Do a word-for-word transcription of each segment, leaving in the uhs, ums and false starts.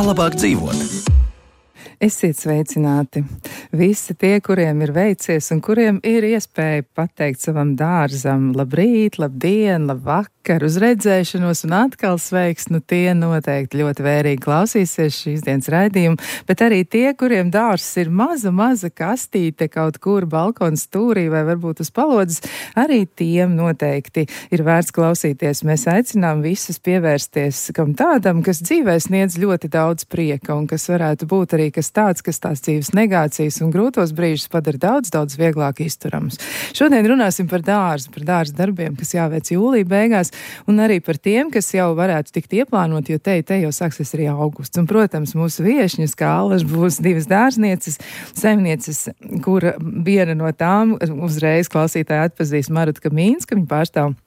labāk dzīvot. Esiet sveicināti. Visi tie, kuriem ir veicies un kuriem ir iespēja pateikt savam dārzam labrīt, labdien, labvakar, uz redzēšanos un atkal sveiks, nu tie noteikti ļoti vērīgi klausīsies šīs dienas raidījumu, bet arī tie, kuriem dārzs ir maza, maza kastīte kaut kur balkona stūrī vai varbūt uz palodzes, arī tiem noteikti ir vērts klausīties. Mēs aicinām visus pievērsties kam tādam, kas dzīvē sniedz ļoti daudz prieka un kas varētu būt arī kas tāds, kas tās dzīves negācijas un grūtos brīžus padara daudz, daudz vieglāk izturams. Šodien runāsim par dārzu, par dārza darbiem, kas jāveic jūlija beigās, un arī par tiem, kas jau varētu tikt ieplānot, jo te, te jau sāksies arī augusts. Un, protams, mūsu viešņas, kā Allaž, būs divas dārznieces, saimnieces, kura viena no tām uzreiz klausītāji atpazīs Maruta Kamīnska, viņa pārstāv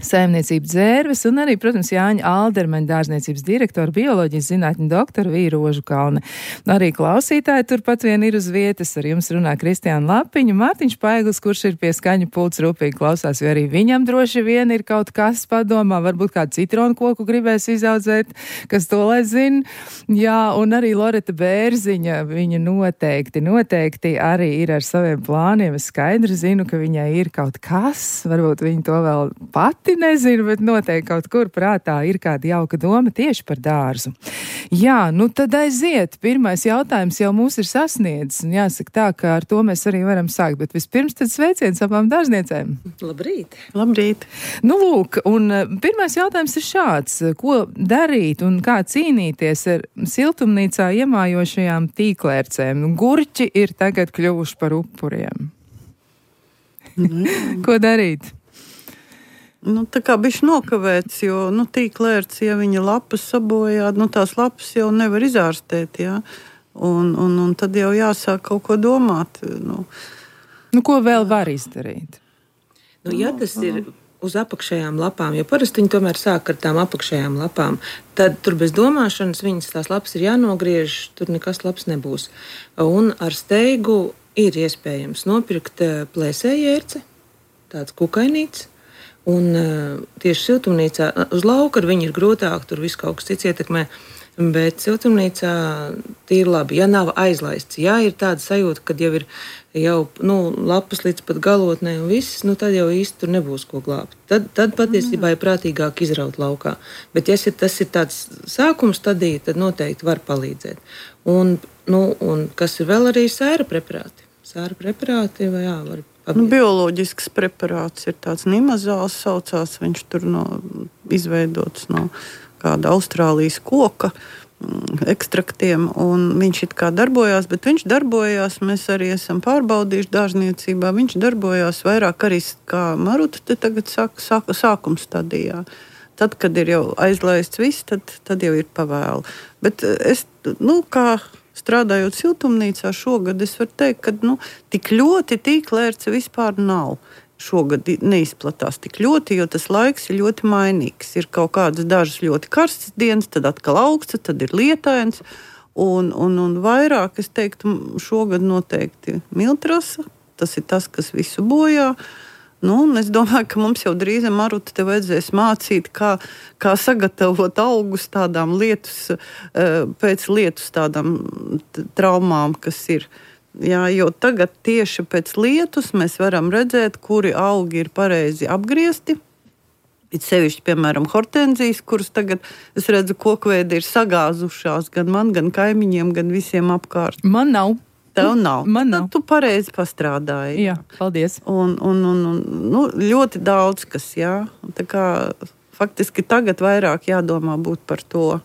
saimniecību Dzērves, un arī, protams, Jāņa Aldermaņa dārzniecības direktora, bioloģijas zinātņu doktora Vīra Rožukalne. Arī klausītāji turpat vien ir uz vietas, ar jums runā Kristiāna Lapiņa, Mārtiņš Paiglis, kurš ir pie skaņu pults rūpīgi klausās, jo arī viņam droši vien ir kaut kas padomā, varbūt kādu citronu koku gribēs izaudzēt, kas to lai zina. Jā, un arī Loreta Bērziņa, viņa noteikti, noteikti arī ir ar saviem plāniem. Es skaidri zinu, ka viņai ir kaut kas, varbūt viņa to vēl pat nezinu, bet noteikti kaut kur prātā ir kāda jauka doma tieši par dārzu. Jā, nu tad aiziet. Pirmais jautājums jau mūs ir sasniedzis, un jāsaka tā, ka ar to mēs arī varam sākt, bet vispirms tad sveiciens abām dārzniecēm. Labrīt! Labrīt! Nu lūk, un pirmais jautājums ir šāds. Ko darīt un kā cīnīties ar siltumnīcā iemājošajām tīklērcēm? Gurķi ir tagad kļuvuši par upuriem. Mm. Ko darīt? Nu, tā kā bišķi nokavēts, jo, nu, tīklērts, ja viņa lapas sabojā, nu, tās lapas jau nevar izārstēt, jā. Un, un, un tad jau jāsāk kaut ko domāt. Nu, nu ko vēl var izdarīt? Nu, ja tas ir uz apakšējām lapām, jo parasti viņi tomēr sāk ar tām apakšējām lapām, tad tur bez domāšanas viņas tās lapas ir jānogriež, tur nekas labs nebūs. Un ar steigu ir iespējams nopirkt plēsējērci, tāds kukainīts. Un uh, tieši siltumnīcā, uz lauka ar viņu ir grūtāk, tur viss kaut kas cits ietekmē, bet siltumnīcā tīri labi, ja nav aizlaists. Ja ir tāda sajūta, kad jau ir jau, nu, lapas līdz pat galotnē un viss, nu, tad jau īsti tur nebūs ko glābt. Tad, tad patiesībā ir prātīgāk izraut laukā. Bet ja tas ir tāds sākums stadija, tad noteikti var palīdzēt. Un, nu, un kas ir vēl arī sēra preparāti. Sēra preparāti, vai jā, var Nu, bioloģisks preparāts ir tāds nimazāls saucās, viņš tur no, izveidots no kāda Austrālijas koka mm, ekstraktiem, un viņš it kā darbojās, bet viņš darbojās, mēs arī esam pārbaudījuši dārzniecībā, viņš darbojās vairāk arī, kā Maruta te tagad saka, sāk, sākuma stadijā. Tad, kad ir jau aizlaists viss, tad, tad jau ir pavēlu. Bet es, nu, kā strādājot siltumnīcā šogad, es varu teikt, ka nu, tik ļoti tīklērce vispār nav. Šogad neizplatās tik ļoti, jo tas laiks ir ļoti mainīgs. Ir kaut kādas dažas ļoti karstas dienas, tad atkal augsts, tad ir lietains. Un, un, un vairāk, es teiktu, šogad noteikti miltrasa. Tas ir tas, kas visu bojā. Nu, es domāju, ka mums jau drīz Maruta te vajadzēs mācīt, kā, kā sagatavot augus tādām lietus, pēc lietus tādām traumām, kas ir. Jā, jo tagad tieši pēc lietus mēs varam redzēt, kuri augi ir pareizi apgriezti. It sevišķi, piemēram, hortenzijas, kuras tagad, es redzu, kokveidi ir sagāzušās gan man, gan kaimiņiem, gan visiem apkārt. Man nav. Tev nav. Man nav. Tad tu pareizi pastrādāji. Jā, paldies. Un, un, un, un nu, ļoti daudz kas, jā. Tā kā faktiski tagad vairāk jādomā būt par to.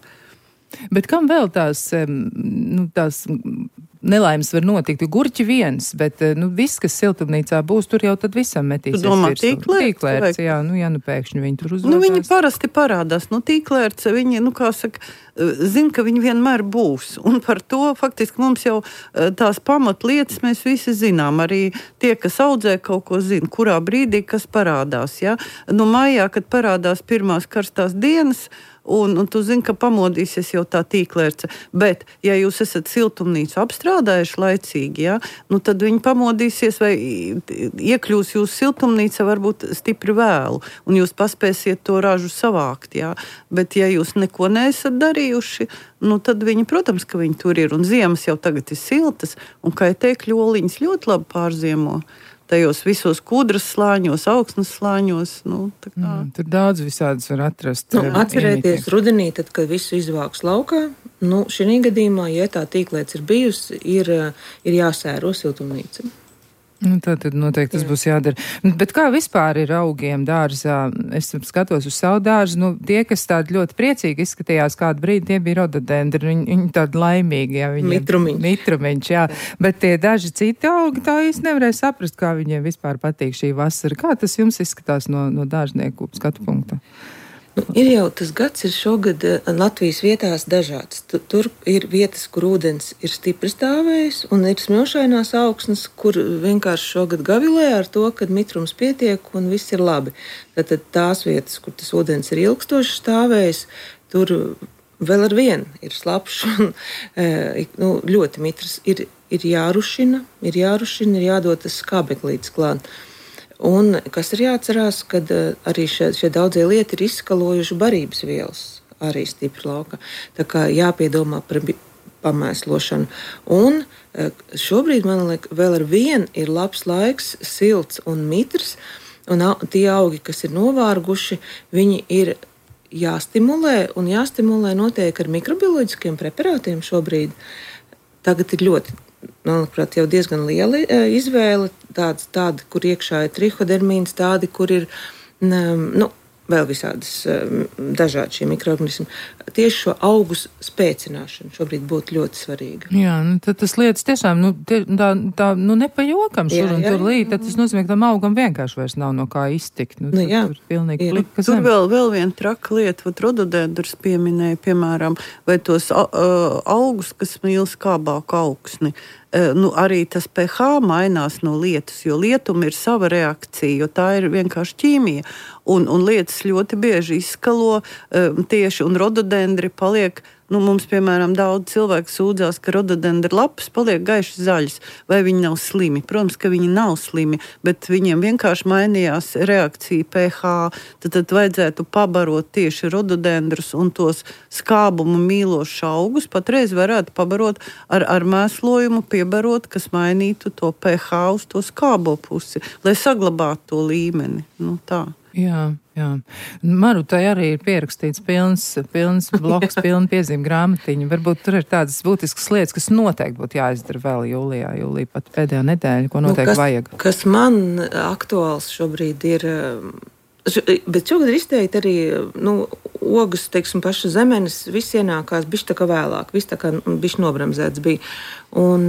Bet kam vēl tās, nu, tās nelaimes var notikt? Gurķi viens, bet nu, viss, kas siltumnīcā būs, tur jau tad visam metīsies. Tu domā tīklērts? Tīklērts, jā, nu, ja nu pēkšņi viņi tur uzvedās. Nu, viņi parasti parādās. Nu, tīklērts, viņi, nu, kā saka, zina, ka viņi vienmēr būs. Un par to faktiski mums jau tās pamatlietas mēs visi zinām. Arī tie, kas audzē kaut ko zina, kurā brīdī kas parādās. Ja? Nu, maijā, kad parādās pirmās karstās dienas, un, un tu zini, ka pamodīsies jau tā tīklērce. Bet, ja jūs esat siltumnīcu apstrādājuši laicīgi, ja, nu tad viņi pamodīsies vai iekļūs jūsu siltumnīca varbūt stipri vēlu, un jūs paspēsiet to ražu savākt. Ja. Bet, ja jūs neko neesat darījuši, nu tad viņi, protams, ka viņi tur ir, un ziemas jau tagad ir siltas, un kaitēkļu oliņas ļoti labi pārziemo. Tajos visos kūdras slāņos, augsnes slāņos. Nu, mm, tur daudz visādas var atrast. Nu, atcerēties rudenī, tad, kad visu izvāks laukā, nu, šī gadījumā, ja tā tīklēts ir bijusi, ir, ir jāsēro siltumnīca. Nu, tā tad noteikti tas Jā. būs jādara. Bet kā vispār ir augiem dārzā? Es skatos uz savu dārzu, nu, tie, kas tādi ļoti priecīgi izskatījās kādu brīdi, tie bija rododendri, viņi, viņi tādi laimīgi, jā. Mitrumiņš. Mitrumiņš, jā. jā. Bet tie daži citi augi, tā īsti nevarēja saprast, kā viņiem vispār patīk šī vasara. Kā tas jums izskatās no, no dārznieku skatu punkta? Nu, ir jau tas gads, ir šogad Latvijas vietās dažāds. Tur ir vietas, kur ūdens ir stipri stāvējis, un ir smilšainās augsnes, kur vienkārši šogad gavilē ar to, ka mitrums pietiek un viss ir labi. Tātad tās vietas, kur tas ūdens ir ilgstoši stāvējis, tur vēl ar vienu ir slapš un nu, ļoti mitrs. Ir, ir jārušina, ir jārušina, ir jādod tas skābeklītis klāt. Un kas ir jāatcerās, kad arī šie, šie daudzie lieti ir izskalojuši barības vielas arī stipri laukā. Tā kā jāpiedomā par pamēslošanu. Un šobrīd, man liekas, vēl ar vienu ir labs laiks, silts un mitrs, un tie augi, kas ir novārguši, viņi ir jāstimulē, un jāstimulē notiek ar mikrobioloģiskiem preparātiem šobrīd. Tagad ir ļoti manuprāt, jau diezgan liela izvēle, tāds, tādi, kur iekšā ir trihodermīns, tādi, kur ir nu, vēl visādas dažādi šie mikroorganismi. Tieši šo augu spēcināšana šobrīd būtu ļoti svarīga. Jā, nu, tad tas lietas tiešām, nu, tie, tā, tā, nu, nepajokam šur jā, un jā, tur līt, tad tas nozīmē, ka tam augam vienkārši vairs nav no kā iztikt. Nu, nu, jā. Tur, tur pilnīgi jā. plika Tur zem. vēl, vēl viena traka lieta, vat rododendrus pieminēja, piemēram, vai tos uh, augus, kas mīl skābāku augsni. Nu, arī tas pH mainās no lietus, jo lietuma ir sava reakcija, jo tā ir vienkārši ķīmija. Un, un lietas ļoti bieži izskalo um, tieši, un rododendri paliek, nu, mums, piemēram, daudz cilvēku sūdzās, ka rododendri lapas paliek gaiši zaļas, vai viņi nav slimi. Protams, ka viņi nav slimi, bet viņiem vienkārši mainījās reakcija pH. Tad, tad vajadzētu pabarot tieši rododendrus un tos skābumu mīlošus augus. Patreiz varētu pabarot ar, ar mēslojumu, piebarot, kas mainītu to pH uz to skābo pusi, lai saglabātu to līmeni. Nu, tā. Jā, jā. Marutai arī ir pierakstīts pilns, pilns bloks, pilna piezīme grāmatiņa. Varbūt tur ir tādas būtiskas lietas, kas noteikti būtu jāizdara vēl jūlijā, jūlijā pat pēdējā nedēļa, ko noteikti nu, kas, vajag. Kas man aktuāls šobrīd ir, bet šogad ir izteikti arī, nu, ogas, teiksim, paša zemenes, viss ienākās bišķi tā kā vēlāk, viss tā kā bišķi nobramzēts bija. Un,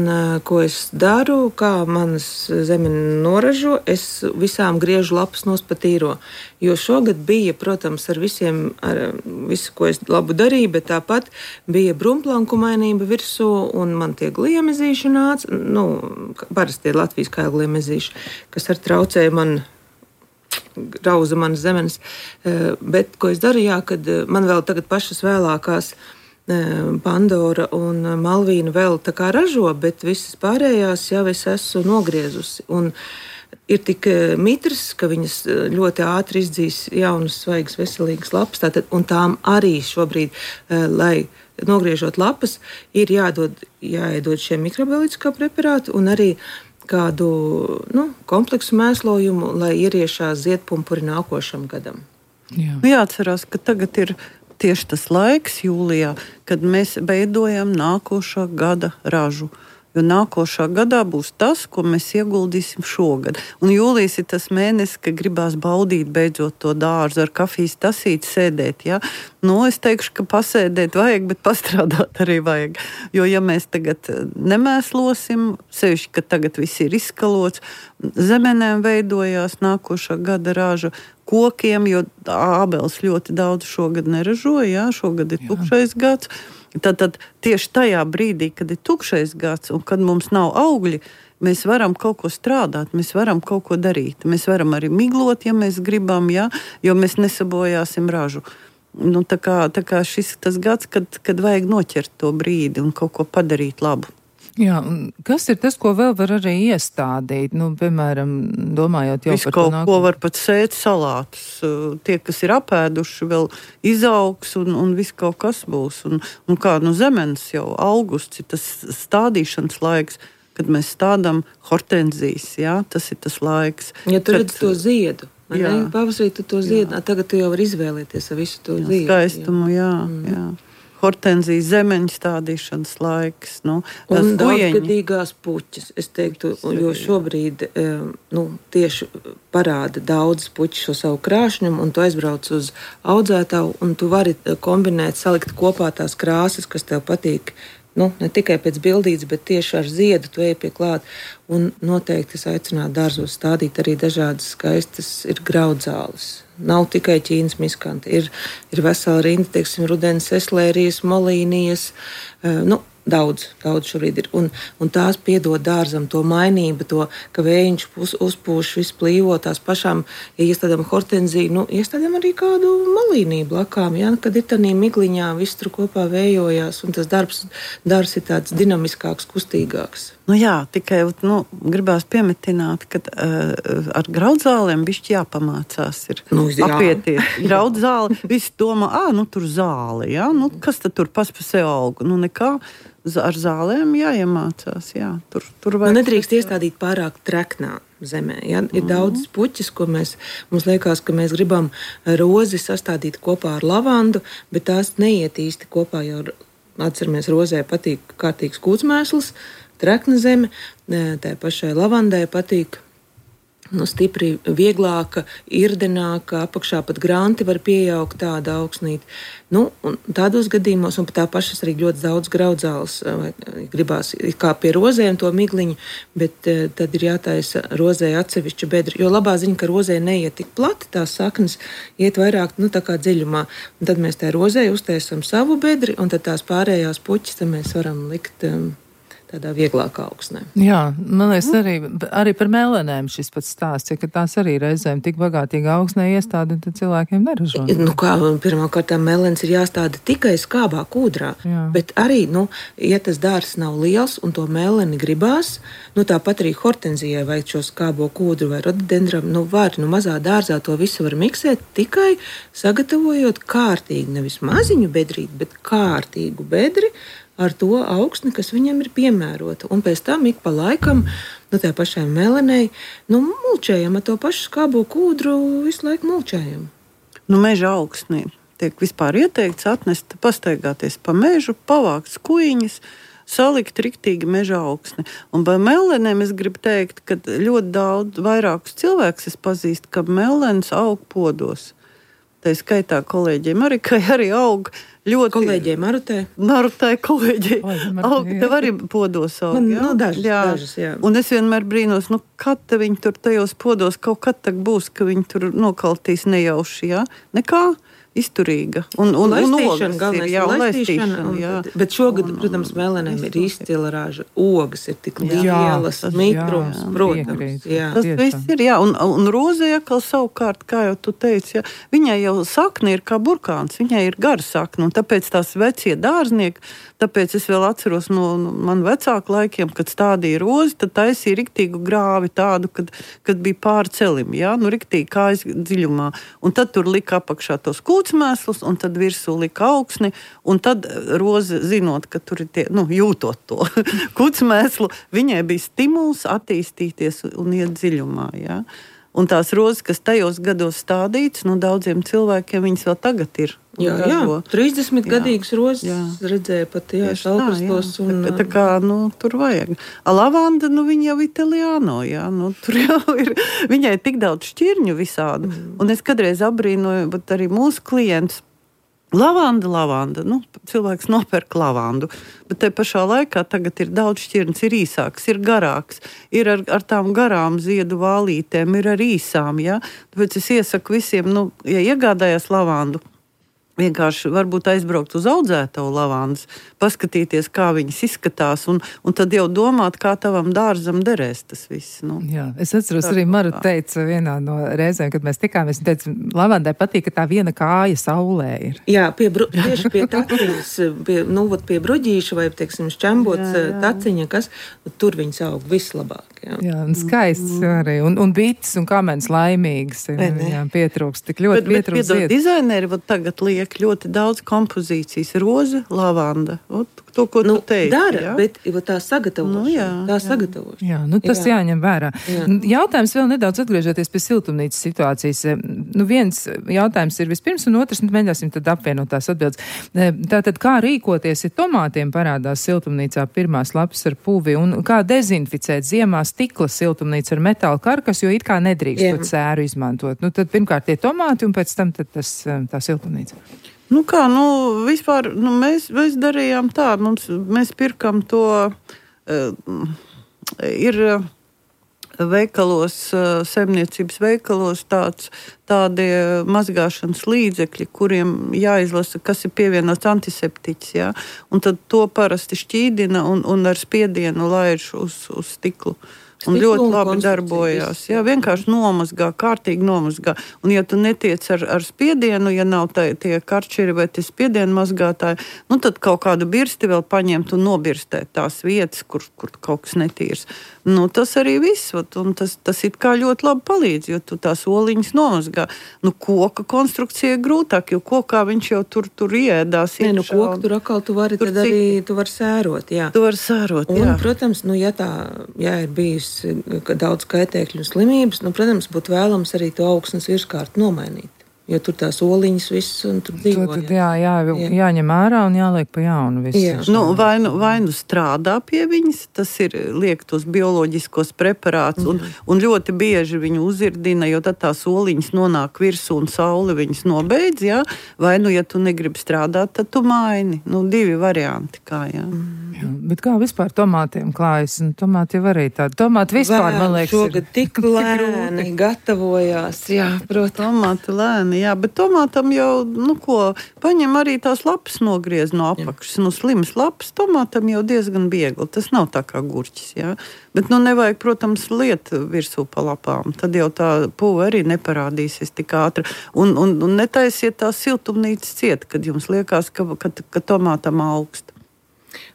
ko es daru, kā manas zemene noražo, es visām griežu lapas nospatīro. Jo šogad bija, protams, ar visiem, ar visu, ko es labu darīju, bet tāpat bija brumplankumainība virsū, un man tie gliemezīši nāca, nu, parasti tie Latvijas kāju gliemezīši, kas ar traucēja man rauza manas zemenes. Bet, ko es daru, jā, kad man vēl tagad pašas vēlākās Pandora un Malvīna vēl tā kā ražo, bet visas pārējās jau es esmu nogriezusi. Un ir tik mitrs, ka viņas ļoti ātri izdzīs jaunas, svaigas, veselīgas lapas. Tātad, un tām arī šobrīd, lai nogriežot lapas, ir jādod, jāiedod šie mikrobioloģiskā preparāti un arī kādu nu, kompleksu mēslojumu, lai ieriešās ziedpumpuri nākošam gadam. Jā. Jāatcerās, ka tagad ir tieši tas laiks jūlijā, kad mēs veidojam nākošā gada ražu. Jo nākošā gadā būs tas, ko mēs ieguldīsim šogad. Un jūlijas ir tas mēnesis, kad gribās baudīt beidzot to dārzu ar kafijas tasīti sēdēt. Ja? Nu, es teikšu, ka pasēdēt vajag, bet pastrādāt arī vajag. Jo ja mēs tagad nemēslosim, sevišķi, ka tagad viss ir izskalots, zemenēm veidojās nākošā gada raža, kokiem, jo ābeles ļoti daudz šogad neražoja, ja? Šogad ir tukšais gads. Tad, tad tieši tajā brīdī, kad ir tukšais gads un kad mums nav augļi, mēs varam kaut ko strādāt, mēs varam kaut ko darīt. Mēs varam arī miglot, ja mēs gribam, ja, jo mēs nesabojāsim ražu. nu, tā kā, tā kā šis tas gads, kad, kad vajag noķert to brīdi un kaut ko padarīt labu. Jā, un kas ir tas, ko vēl var arī iestādīt? Nu, piemēram, domājot jau Visu par kaut to nākotni. ko var pat sēt salātus. Tie, kas ir apēduši, vēl izaugs un, un viss kaut kas būs. Un, un kā nu zemenes jau augusts ir tas stādīšanas laiks, kad mēs stādām hortenzijas, jā, tas ir tas laiks. Ja tu kad, redz to ziedu, vai ne? Pavasarī tu to ziedu, tagad tu jau vari izvēlēties ar visu to jā, ziedu. Skaistumu, jā, mm. jā. Hortenzijas zemeņu stādīšanas laiks. Nu, un daudzgadīgās puķes, es teiktu, jo šobrīd nu, tieši parāda daudz puķu šo savu krāšņumu, un tu aizbrauc uz audzētavu, un tu vari kombinēt, salikt kopā tās krāsas, kas tev patīk. Nu, ne tikai pēc bildītes, bet tieši ar ziedu tu ej pie klāt. Un noteikti es aicinātu dārzos stādīt arī dažādas skaistas ir graudzāles. Nav tikai ķīnas miskanti. Ir, ir vesela rinda, teiksim, rudens eslērijas, molīnijas, uh, nu, daudz, daudz šobrīd ir. Un, un tās piedod dārzam to mainību, to, ka vējiņš uz, uzpūš, viss plīvo tās pašām, ja iestādām hortenziju, nu, iestādām arī kādu malīniju blakām, ja, kad ir tādā migliņā, viss tur kopā vējojās, un tas darbs, darbs ir tāds dinamiskāks, kustīgāks. Nu jā, tikai nu, gribās piemetināt, ka uh, ar graudzālēm bišķi jāpamācās ir nu, jā. apieties. Graudzāli, visi domā, ā, nu tur zāle, jā, nu kas tad tur pas pa sev aug? Nu nekā, ar zālēm jāiemācās, jā. Tur, tur nu, nedrīkst iestādīt pārāk treknā zemē, ja? Ir mm. daudz puķis, ko mēs, mums liekas, ka mēs gribam rozi sastādīt kopā ar lavandu, bet tās neiet īsti kopā, jo atceramies, rozē patīk kārtīgs kūtsmēsls, trekna zeme, tā pašai lavandai patīk nu, stipri vieglāka, irdenāka, apakšā pat granti var pieaugt tāda augsnīte. Nu, un tādos gadījumos, un pat tā pašas arī ļoti daudz graudzāles, gribās kā pie rozēm to migliņu, bet eh, tad ir jātaisa rozē atsevišķa bedra, jo labā ziņa, ka rozē neiet tik plati, tās saknes iet vairāk, nu, tā kā dziļumā. Un tad mēs tā rozē uztaisam savu bedri, un tad tās pārējās puķis, tad mēs varam likt um, tādā vieglākā augsnē. Jā, man liekas, arī, arī par melenēm šis pats stāsts, ja, ka tās arī reizēm tik bagātīgi augsnē iestādi, un tad cilvēkiem neražo. Nu kā, pirmkārt, melens ir jāstāda tikai skābā kūdrā, jā. Bet arī, nu, ja tas dārs nav liels un to meleni gribās, nu tāpat arī hortenzijai vajag šo skābo kūdru vai rododendram, nu var, nu mazā dārzā to visu var miksēt tikai sagatavojot kārtīgi, nevis maziņu bedrīt, bet kārtīgu bedri, ar to augsni, kas viņam ir piemērota. Un pēc tam ik pa laikam, nu tā pašai melenei, nu mulčējam ar to pašu skābo kūdru, visu laiku mulčējam. Nu meža augsnī tiek vispār ieteikts atnest, pastaigāties pa mežu, pavākt skuiņas, salikt riktīgi meža augsni. Un par melenēm es gribu teikt, ka ļoti daudz vairākus cilvēkus es pazīstu, ka melens aug podos. Tā skaitā kolēģiem arī, ka arī aug ļoti... Kolēģiem Marutē. Marutē kolēģi. Aug, tev arī podos aug, Man, jā? Nu, dažas, jā. dažas, jā. Un es vienmēr brīnos, nu, kad viņi tur tajos podos kaut kad tak būs, ka viņi tur nokaltīs nejauši, jā? Nekā? Izturīga. Un, un, un ogas ir, jā, un laistīšana, jā. Bet šogad, un, protams, melenēm ir izcila raža. Ogas ir tik lielas, mitrums, protams. Jā. Tas viss ir, jā. Un, un rozē atkal savukārt, kā jau tu teici, jā, viņai jau sakne ir kā burkāns, viņai ir gara sakne, un tāpēc tās vecie dārznieki, tāpēc es vēl atceros no, no man vecāku laikiem, kad stādīja rozi, tad taisīja riktīgu grāvi tādu, kad, kad bija pār celim, jā, nu riktīgi kājas dziļumā. Un tad tur lika apakšā tos kūtsmēslus, un tad virsū lika augsni, un tad roze, zinot, ka tur ir tie, nu, jūtot to kūtsmēslu, viņai bija stimuls attīstīties un iet dziļumā, jā. Un tās rozes, kas tajos gados stādītas, nu, daudziem cilvēkiem viņas vēl tagad ir. Jā, jā, trīsdesmit gadīgas rozes jā. Redzēja pat, jā, šalprastos. Un... Tā, tā kā, nu, tur vajag. A lavanda, nu, viņa jau Italiano, jā, nu, tur jau ir, viņai tik daudz šķirņu visādu. Mm. Un es kādreiz abrīnoju, bet arī mūsu klients, lavanda, lavanda, nu, cilvēks nopērk lavandu, bet te pašā laikā tagad ir daudz šķirnes, ir īsāks, ir garāks, ir ar, ar tām garām ziedu vālītēm, ir ar īsām, jā. Tāpēc es iesaku visiem, nu, ja iegādājās lavandu, vienkārši varbūt aizbraukt uz audzētavu lavandas, paskatīties, kā viņas izskatās, un, un tad jau domāt, kā tavam dārzam derēs tas viss. Nu. Jā, es atceros, arī Maru teica vienā no reizēm, kad mēs tikāmies, un teica, lavandai patīk, ka tā viena kāja saulē ir. Jā, pie bru, tieši pie taciņas, pie, nu, pie bruģīša vai, teiksim, šķembots jā, jā. taciņa, kas, tur viņas aug vislabāk. Jā, jā un skaists mm. arī, un, un bites un kamens laimīgas, jā, pietrūks, tik ļoti bet, pietrūks ziet. Bet, dizaineri, vat tagad liek ļoti daudz kompozīcijas, roze, lavanda, ot, to, ko nu, tu teici. Dara, jā? bet tā sagatavošana, nu, jā, tā jā. sagatavošana. Jā, nu tas jā. jāņem vērā. Jā. Jautājums vēl nedaudz atgriežoties pie siltumnīcas situācijas. Nu, viens jautājums ir vispirms, un otrs, nu, mēģināsim tad apvienot tās atbildes. Tātad, kā rīkoties, ja tomātiem parādās siltumnīcā pirmās lapas ar puvi, un kā dezinficēt ziemā stikla siltumnīcu ar metāla karkas, jo it kā nedrīkst jā. to cēru izmantot. Nu, tad pirmkārt tie tomāti, un pēc tam tad tas, tā siltumnīca. Nu kā, nu, vispār, nu, mēs, mēs darījām tā, mums, mēs pirkam to, uh, ir uh, veikalos, uh, saimniecības veikalos tāds, tādi mazgāšanas līdzekļi, kuriem jāizlasa, kas ir pievienots antiseptiķis, jā, un tad to parasti šķīdina un, un ar spiedienu laiž uz, uz stiklu. Un ļoti labi darbojās. Jā, vienkārši nomazgā, kārtīgi nomazgā. Un ja tu netiec ar, ar spiedienu, ja nav tā, tie karčeri vai tie spiedienu mazgātāji, nu tad kaut kādu birsti vēl paņemt un nobirstēt tās vietas, kur, kur kaut kas netīrs. Nu, tas arī viss, un tas, tas it kā ļoti labi palīdz, jo tu tās oliņas nomazgā. Nu, koka konstrukcija ir grūtāk, jo kokā viņš jau tur, tur iēdās. Nē, nu, koku tur atkal tu vari, tad arī tu vari sērot, jā. Tu vari sērot, jā. Un, protams, nu, ja tā, jā, ir bijis daudz kaitēkļu un slimības, nu, protams, būtu vēlams arī to augsnes virskārtu nomainīt. Jo tur tās oliņas viss un tur dzīvo. Tad, jā, jā, jā. jāņem ārā un jāliek pa jaunu visu. Nu, vai, nu, vai nu strādā pie viņas, tas ir liek tos bioloģiskos preparātus, un, un ļoti bieži viņu uzirdina, jo tad tās oliņas nonāk virsū un saule viņas nobeidz, jā. Vai nu, ja tu negribi strādāt, tad tu maini. Nu, divi varianti kā, jā. Mm. Jā, bet kā vispār tomātiem klājas? Un tomāti jau arī tādi. Tomāti vispār, Vēl, man liekas, šogad ir tik lēni gatavojās. Jā, protams. Tomāti lēni, jā, bet tomātam jau, nu ko, paņem arī tās lapas nogriez no apakšas. Nu, slimas lapas tomātam jau diezgan viegli. Tas nav tā kā gurķis, jā. Bet, nu, nevajag, protams, liet virsū pa lapām. Tad jau tā puva arī neparādīsies tik ātri. Un, un, un netaisiet tās siltumnīcas ciet, kad jums liekas, ka, ka, ka tomātam augst.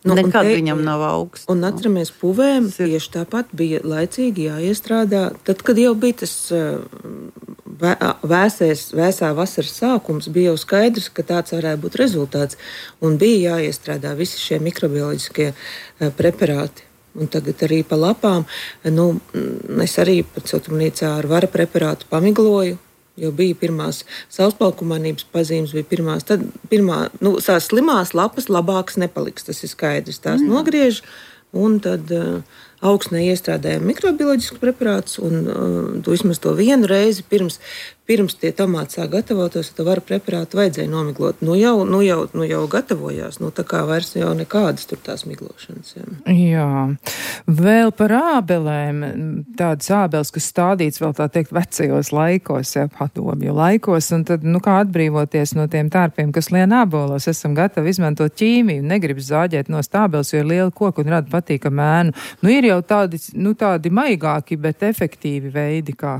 Nu, Nekad te, viņam nav augsts. Un atceramies, puvēm tieši tāpat bija laicīgi jāiestrādā. Tad, kad jau bija tas vē, vēsēs, vēsā vasaras sākums, bija jau skaidrs, ka tāds varētu būt rezultāts. Un bija jāiestrādā visi šie mikrobioloģiskie preparāti. Un tagad arī pa lapām, nu, es arī pat siltumnīcā ar vara preparātu pamigloju. Jo bija pirmās sauspalkumainības pazīmes, bija pirmās, tad pirmā, nu, tās slimās lapas labākas nepaliks, tas ir skaidrs. Tās mm. nogriež, un tad uh, augsnē iestrādājam mikrobioloģiskus preparātus, un uh, tu vismaz to vienu reizi pirms, pirms tie tomāti sāk gatavotos, tad varu preparātu vajadzēja nomiglot. Nu jau, nu jau, nu jau gatavojās, nu tā kā vairs jau nekādas tur tās miglošanas. Jā. Jā. Vēl par ābelēm, tādas ābeles, kas stādīts vēl tā teikt vecajos laikos, jā, padomju laikos, un tad, nu kā atbrīvoties no tiem tārpiem, kas lien ābolos, esam gatavi izmantot ķīmiju, negribas zāģēt no stābeles, jo ir liela koka un rada patīkamu ēnu. Nu ir jau tādi, nu tādi maigāki, bet efektīvi veidi, kā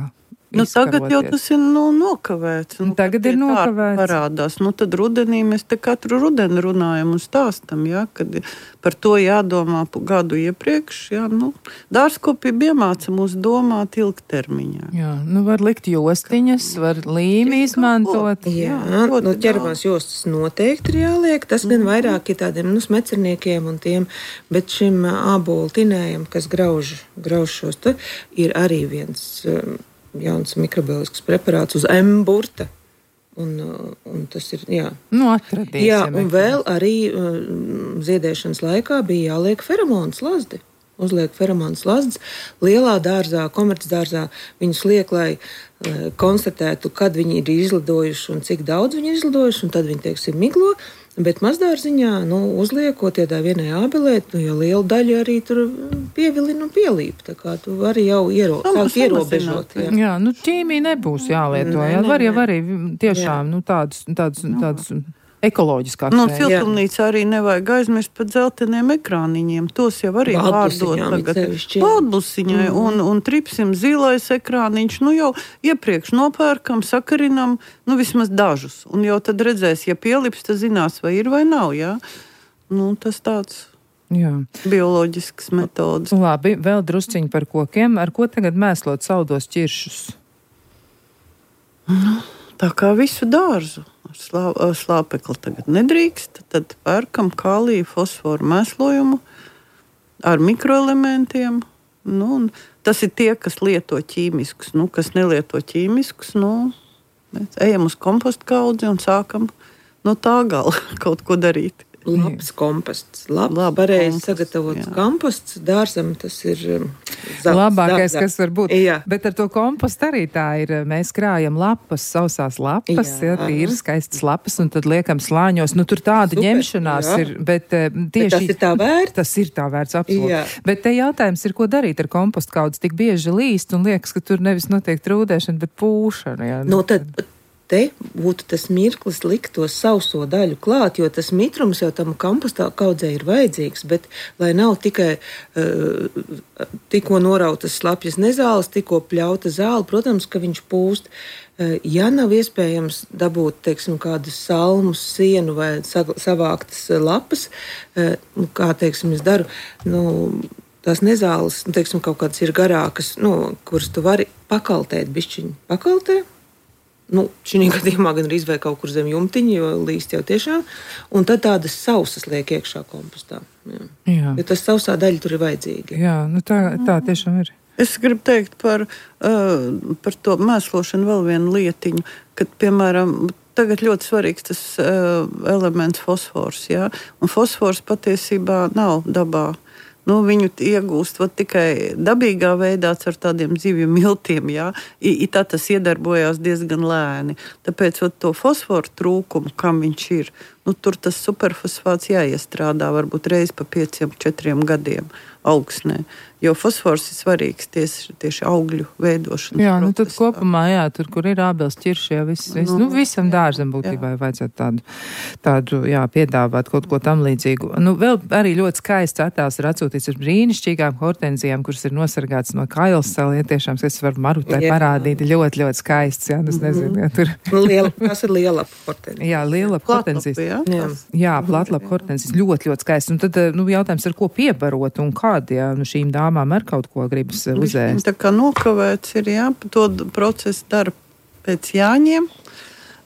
Nu, tagad jau tas ir nu, nokavēts. Nu, tagad ir nokavēts. Parādās. Nu, tad rudenī mēs te katru rudeni runājam un stāstam, ja, kad par to jādomā gadu iepriekš. Ja, nu, dārzkopība iemāca mūs domāt ilgtermiņā. Jā, nu var likt jostiņas, var līmi izmantot. Jā, jā nu, ķermās jostas noteikti ir jāliek. Tas gan vairāk ir tādiem nu, smecerniekiem un tiem, bet šim ābolu tinējam, kas grauž, grauž šos, te, ir arī viens jauns mikrobioloģisks preparāts uz M-burta. Un, un tas ir, jā. Nu, atradīsim. Jā, un vēl arī um, ziedēšanas laikā bija jāliek feromonas lazdi. Uzliek feromonas lazdas. Lielā dārzā, komercdārzā viņus liek, lai uh, konstatētu, kad viņi ir izlidojuši un cik daudz viņi ir izlidojuši, un tad viņi, teiksim, miglo. Bet mazdārziņā, nu, uzliekot iedā vienai ābelē, nu, jo liela daļa arī tur pievilina un pielīp. Tā kā tu vari jau iero, Nu, sākt ierobežot. Jā. Jā, nu ķīmija nebūs jālieto. Nē, Jā, nē, var jau nē. arī tiešām, nu, tādus, tādus, tādus ekoloģiskākus. Nu, veidus. siltumnīcā arī nevajag aizmirst par dzelteniem ekrāniņiem. Tos jau arī pārdot Baltbusiņām tagad. it sevišķi, jā. Baltbusiņai Mhm. un, un tripsim zilais ekrāniņš. Nu jau iepriekš nopērkam, sakarinam, nu vismaz dažus. Un jau tad redzēs, ja pielips, tad zinās, vai ir vai nav, jā. Nu, tas tāds Jā. bioloģisks metodas. Labi, vēl drusciņi par kokiem. Ar ko tagad mēslot saldos ķiršus? Tā kā visu dārzu. Ar slā, ar slāpekli tagad nedrīkst. Tad pērkam kāliju, fosforu mēslojumu ar mikroelementiem. Nu, un tas ir tie, kas lieto ķīmiskus. Nu, kas nelieto ķīmiskus, nu, mēs ejam uz kompostu kaudzi un sākam no tā gala kaut ko darīt. Labs komposts. Labs, Labs pareizi komposts, sagatavots jā. komposts. Dārzam tas ir um, zelts, Labākais, dārzā. kas var būt. Jā. Bet ar to kompostu arī tā ir. Mēs krājam lapas, sausās lapas, Jā. jā, tīri skaistas lapas, un tad liekam slāņos. Nu, tur tāda Super, ņemšanās jā. ir, bet eh, Bet tieši tas ir tā vērts. Tas ir tā vērts, absolūti. Jā. Bet te jautājums ir, ko darīt ar kompostu kaudzi. Tik bieži līst un liekas, ka tur nevis notiek trūdēšana, bet pūšana. Jā. Nu, tad te būtu tas mirklis likt to sauso daļu klāt, jo tas mitrums jau tam kompostā kaudzē ir vajadzīgs, bet lai nav tikai uh, tikko norautas slapjas nezāles, tikko pļauta zāle, protams, ka viņš pūst. Uh, ja nav iespējams dabūt, teiksim, kādus salmus, sienu vai sag- savāktas uh, lapas, uh, nu, kā, teiksim, es daru, nu, tās nezāles, nu, teiksim, kaut kādas ir garākas, nu, kuras tu vari pakaltēt bišķiņu. Pakaltē? Nu, šī gadījumā gan arī izvēl kaut kur zem jumtiņa, jo līst jau tiešām. Un tad tādas sausas liek iekšā kompostā. Jā. Jā. Jo tas sausā daļa tur ir vajadzīga. Jā, nu tā, tā tiešām ir. Es gribu teikt par, uh, par to mēslošanu vēl vienu lietiņu, kad, piemēram, tagad ļoti svarīgs tas uh, elements fosfors, jā, un fosfors patiesībā nav dabā. Nu, viņu iegūst vat, tikai dabīgā veidā ar tādiem zivju miltiem. Jā. I, i tā tas iedarbojās diezgan lēni. Tāpēc vat, to fosforu trūkumu, kam viņš ir, nu, tur tas superfosfāts jāiestrādā varbūt reiz pa pieciem, četriem gadiem augsnē. Jo fosfors ir svarīgs tieši, tieši augļu veidošanas Jā, nu tad procesā. kopumā, jā, tur, kur ir ābels ķirši, jā, viss, viss, nu, visam dārzam būtībā vajadzētu tādu, tādu, jā, piedāvāt kaut ko tam līdzīgu. Nu, vēl arī ļoti skaists attēls ir atsūtīts ar brīnišķīgām hortenzijām, kuras ir nosargātas no kailsala, ja tiešām, es varu Marutai Jā. parādīt, ļoti, ļoti skaists, jā, nu, es nezinu, jā, tur. Nu, liela, tas ir liela hortenzija. Jā, liela hortenzijas. Jā, Jā. Jā, platlapa hortenzijas ļoti, ļoti skaists. Un tad, nu, jautājums, ar ko piebarot un kādi, jā, nu, šīm dāmām ar kaut ko gribas Viņš uzēst. tā kā nokavēts ir, jā, to procesu dara pēc jāņiem,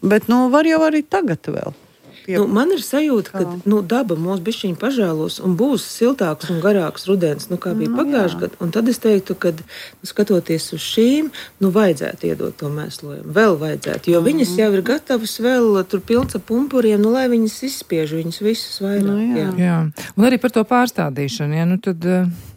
bet, nu, var jau arī tagad vēl. Pie... Nu, man ir sajūta, ka nu, daba mūs bišķiņi pažēlos un būs siltāks un garāks rudens, nu, kā bija Nu, pagājušajā gadā. Un tad es teiktu, ka, nu, skatoties uz šīm, nu, vajadzētu iedot to mēslojumu. Vēl vajadzētu, jo mm. viņas jau ir gatavas vēl tur pilns ar pumpuriem, nu, lai viņas izspiež viņas visus vairāk. Nu, jā. jā. Jā, un arī par to pārstādīšanu, jā, nu, tad.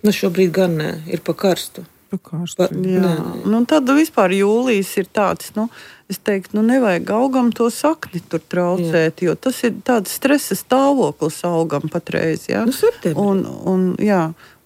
Nu, šobrīd gan nē, ir pa karstu. Karstu. Pa, Jā, nē, nē. nu, tad vispār jūlijas ir tāds, nu, es teiktu, nu, nevajag augam to sakni tur traucēt, jā. Jo tas ir tāds stresa stāvoklis augam patreiz, jā. Nu, septembrī. Un, un, jā,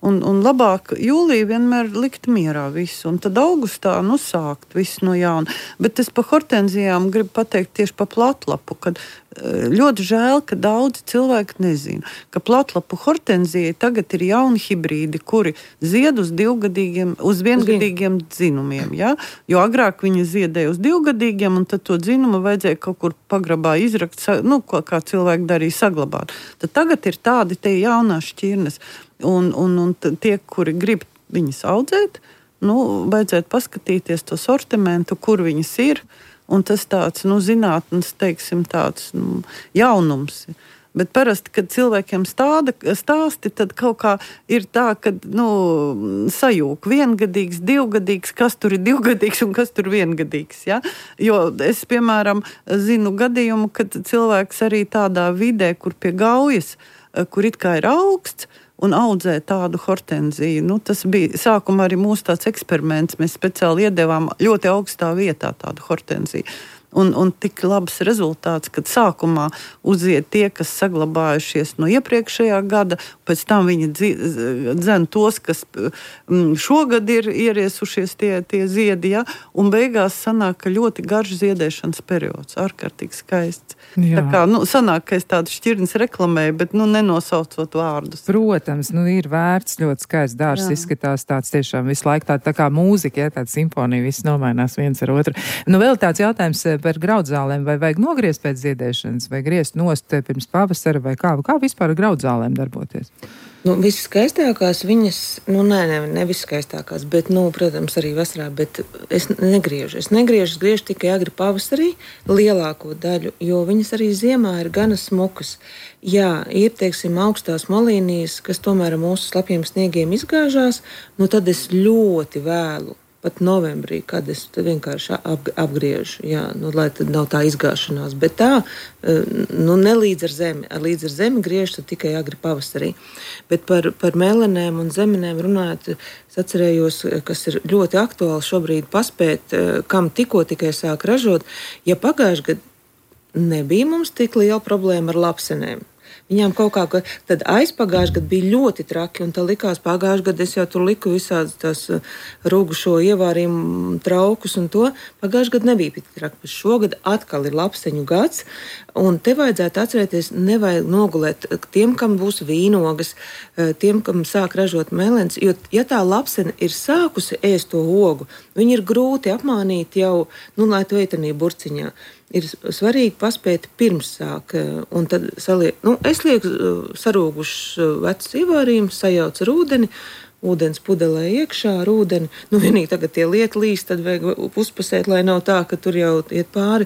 un, un labāk jūlija vienmēr likt mierā visu, un tad augustā, nu, sākt visu no jauna. Bet es pa hortenzijām gribu pateikt tieši pa platlapu, kad ļoti žēl, ka daudzi cilvēki nezina, ka platlapu hortenzijai tagad ir jauni hibrīdi, kuri zied uz divgadīgiem, uz viengadīgiem dzinumiem, ja? Jo agrāk viņi ziedēja uz divgadīgiem, un tad to dzinumu vajadzēja kaut kur pagrabā izrakt, nu, ko, kā cilvēki darīja, saglabāt. Tad tagad ir tādi te jaunās šķirnes, un, un, un tie, kuri grib viņas audzēt, nu, vajadzētu paskatīties to sortimentu, kur viņas ir. Un tas tāds, nu, zinātnes, teiksim, tāds, nu, jaunums. Bet parasti, kad cilvēkiem stāda, stāsti, tad kaut kā ir tā, ka, nu, sajūg viengadīgs, divgadīgs, kas tur ir divgadīgs un kas tur viengadīgs, ja? Jo es, piemēram, zinu gadījumu, kad cilvēks arī tādā vidē, kur pie gaujas, kur it kā ir augsts, un audzē tādu hortenziju. Nu, tas bija sākumā arī mūsu tāds eksperiments. Mēs speciāli iedevām ļoti augstā vietā tādu hortenziju. Un, un tik labs rezultāts, kad sākumā uziet tie, kas saglabājušies no iepriekšējā gada, pēc tam viņi dzen tos, kas šogad ir ieriesušies tie, tie ziedi, ja? Un beigās sanāk, ka ļoti garš ziedēšanas periods, ārkārtīgi skaists. Jā. Tā kā, nu, sanāk, ka es tādu šķirnes reklamēju, bet, nu, nenosaucot vārdus. Protams, nu, ir vērts, ļoti skaists dārs, izskatās tāds tiešām visu laiku tā, tā kā mūzika, ja, tāda simfonija, viss nomainās viens ar otru. Nu, vēl tāds jautājums par graudzālēm, vai vajag nogriezt pēc ziedēšanas, vai griezt nost pirms pavasara, vai kā, kā vispār ar graudzālēm darboties? Nu, viskaistākās viņas, nu, nē, ne, ne viskaistākās, bet, nu, protams, arī vasarā, bet es negriežu. Es negriežu, es griežu tikai agri pavasarī lielāko daļu, jo viņas arī ziemā ir gana smukas. Jā, ir, teiksim, augstās malīnijas, kas tomēr ar mūsu slapjiem sniegiem izgāžās, nu, tad es ļoti vēlu. Pat novembrī, kad es vienkārši ap, apgriežu, jā, nu, lai tad nav tā izgāšanās. Bet tā, nu, ne līdz ar zemi. Līdz ar zemi griežu tikai agri pavasarī. Bet par, par melenēm un zemenēm runājot, es atcerējos, kas ir ļoti aktuāli šobrīd paspēt, kam tikko tikai sāk ražot. Ja pagājuši gadu nebija mums tik liela problēma ar lapsenēm. Viņām kaut kā, tad aizpagājuši gadu bija ļoti traki, un tā likās pagājuši gadu, es jau tur liku visādas tās rūgušo ievārījumu traukus un to. Pagājuši gadu nebija tik traki, bet šogad atkal ir lapseņu gads, un te vajadzētu atcerēties, nevajag nogulēt tiem, kam būs vīnogas, tiem, kam sāk ražot melens, jo, ja tā lapsena ir sākusi ēst to ogu, viņi ir grūti apmānīt jau, nu, lai to ietanī burciņā. Ir svarīgi paspēt pirms sāk, un tad saliek, nu, es lieku sarūgušus vecus ievārījumus, sajaucu ar ūdeni, ūdens pudelē iekšā ar ūdeni. Nu, vienīgi tagad tie lieti līst, tad vajag uzpasēt, lai nav tā, ka tur jau iet pāri.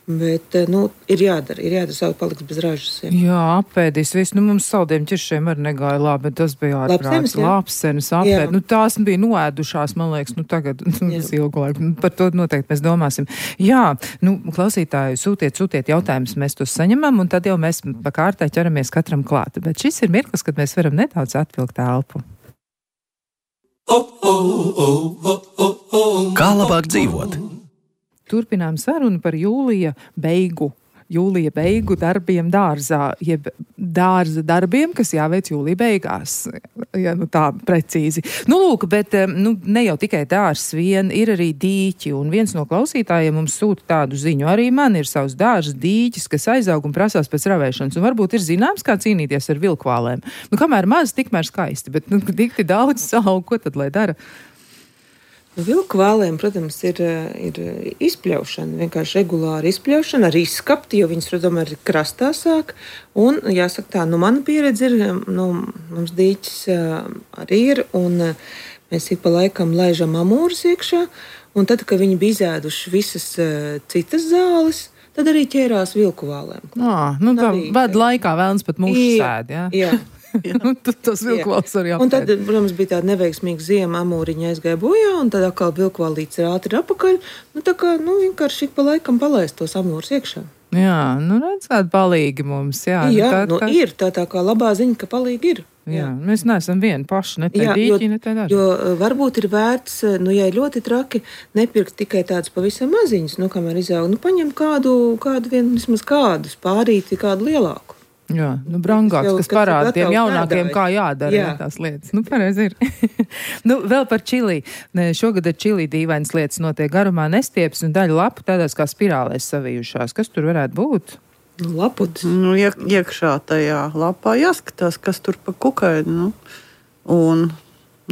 Bet, nu, ir jādara, ir jādara, savu paliks bez ražas. Ja. Jā, apēdīs visu. Nu, mums saldiem ķiršiem arī negāja labi, bet tas bija ārprāts. Lapsenes apēd. Nu, tās bija noēdušās, man liekas, nu, tagad, nu, ilgu laiku. Par to noteikti mēs domāsim. Jā, nu, klausītāji, sūtiet, sūtiet jautājumus, mēs tos saņemam, un tad jau mēs pa kārtai ķeramies katram klāt. Bet šis ir mirklis, kad mēs varam nedaudz atvilkt elpu. Kā labāk dzīvot? Turpinām sarunu par jūlija beigu, jūlija beigu darbiem dārzā, jeb dārza darbiem, kas jāveic jūlija beigās, ja nu tā precīzi. Nu, lūk, bet nu, ne jau tikai dārzs vien, ir arī dīķi, un viens no klausītājiem mums sūta tādu ziņu. Arī man ir savs dārzs dīķis, kas aizaug un prasās pēc ravēšanas, un varbūt ir zināms, kā cīnīties ar vilkvālēm. Nu, kamēr maz, tikmēr skaisti, bet nu, dikti daudz savu, ko tad lai dara? Vilku vālēm, protams, ir, ir izpļaušana, vienkārši regulāra izpļaušana, arī izskapti, jo viņas, protams, ir krastā sāk. Un, jāsaka tā, nu, mana pieredze ir, nu, mums dīķis arī ir, un mēs ik pa laikam laižam amūrus iekšā, un tad, kad viņi bija izēduši visas citas zāles, tad arī ķērās vilku vālēm. Ā, nu, tā vada laikā vēlns pat mūsu sēd, jā? Jā. Nu, tas vilkvāls arī apēd. Un tad, protams, bija tāda neveiksmīga ziema, amūriņa aizgāja bojā, un tad atkal vilkvālīts ir ātri apakaļ. Nu, tā kā, nu, vienkārši ik pa laikam palaist tos amūrus iekšā. Jā, nu, redz, kādi palīgi mums, jā. Jā, tā, nu, tā... ir tā tā kā labā ziņa, ka palīgi ir. Jā, jā, mēs neesam vieni paši, ne te dīķi, ne te daži. Jo varbūt ir vērts, nu, ja ir ļoti traki, nepirkt tikai tāds pavisam maziņus, nu, kamēr izaug, nu, paņem kādu, kādu vien, vismaz kādus, pārīti kādu lielāku. Jā, nu, brangāks, kas parāda tiem jaunākiem, kā jādara, jā. Jā, tās lietas. Nu, pareizi ir. Nu, vēl par čili. Šogad ar čili dīvainas lietas notiek garumā nestieps un daļa lapu tādās kā spirālēs savijušās. Kas tur varētu būt? Nu, laputis. Nu, iek, iekšā tajā lapā jāskatās, kas tur pa kukaiņu. Nu. Un,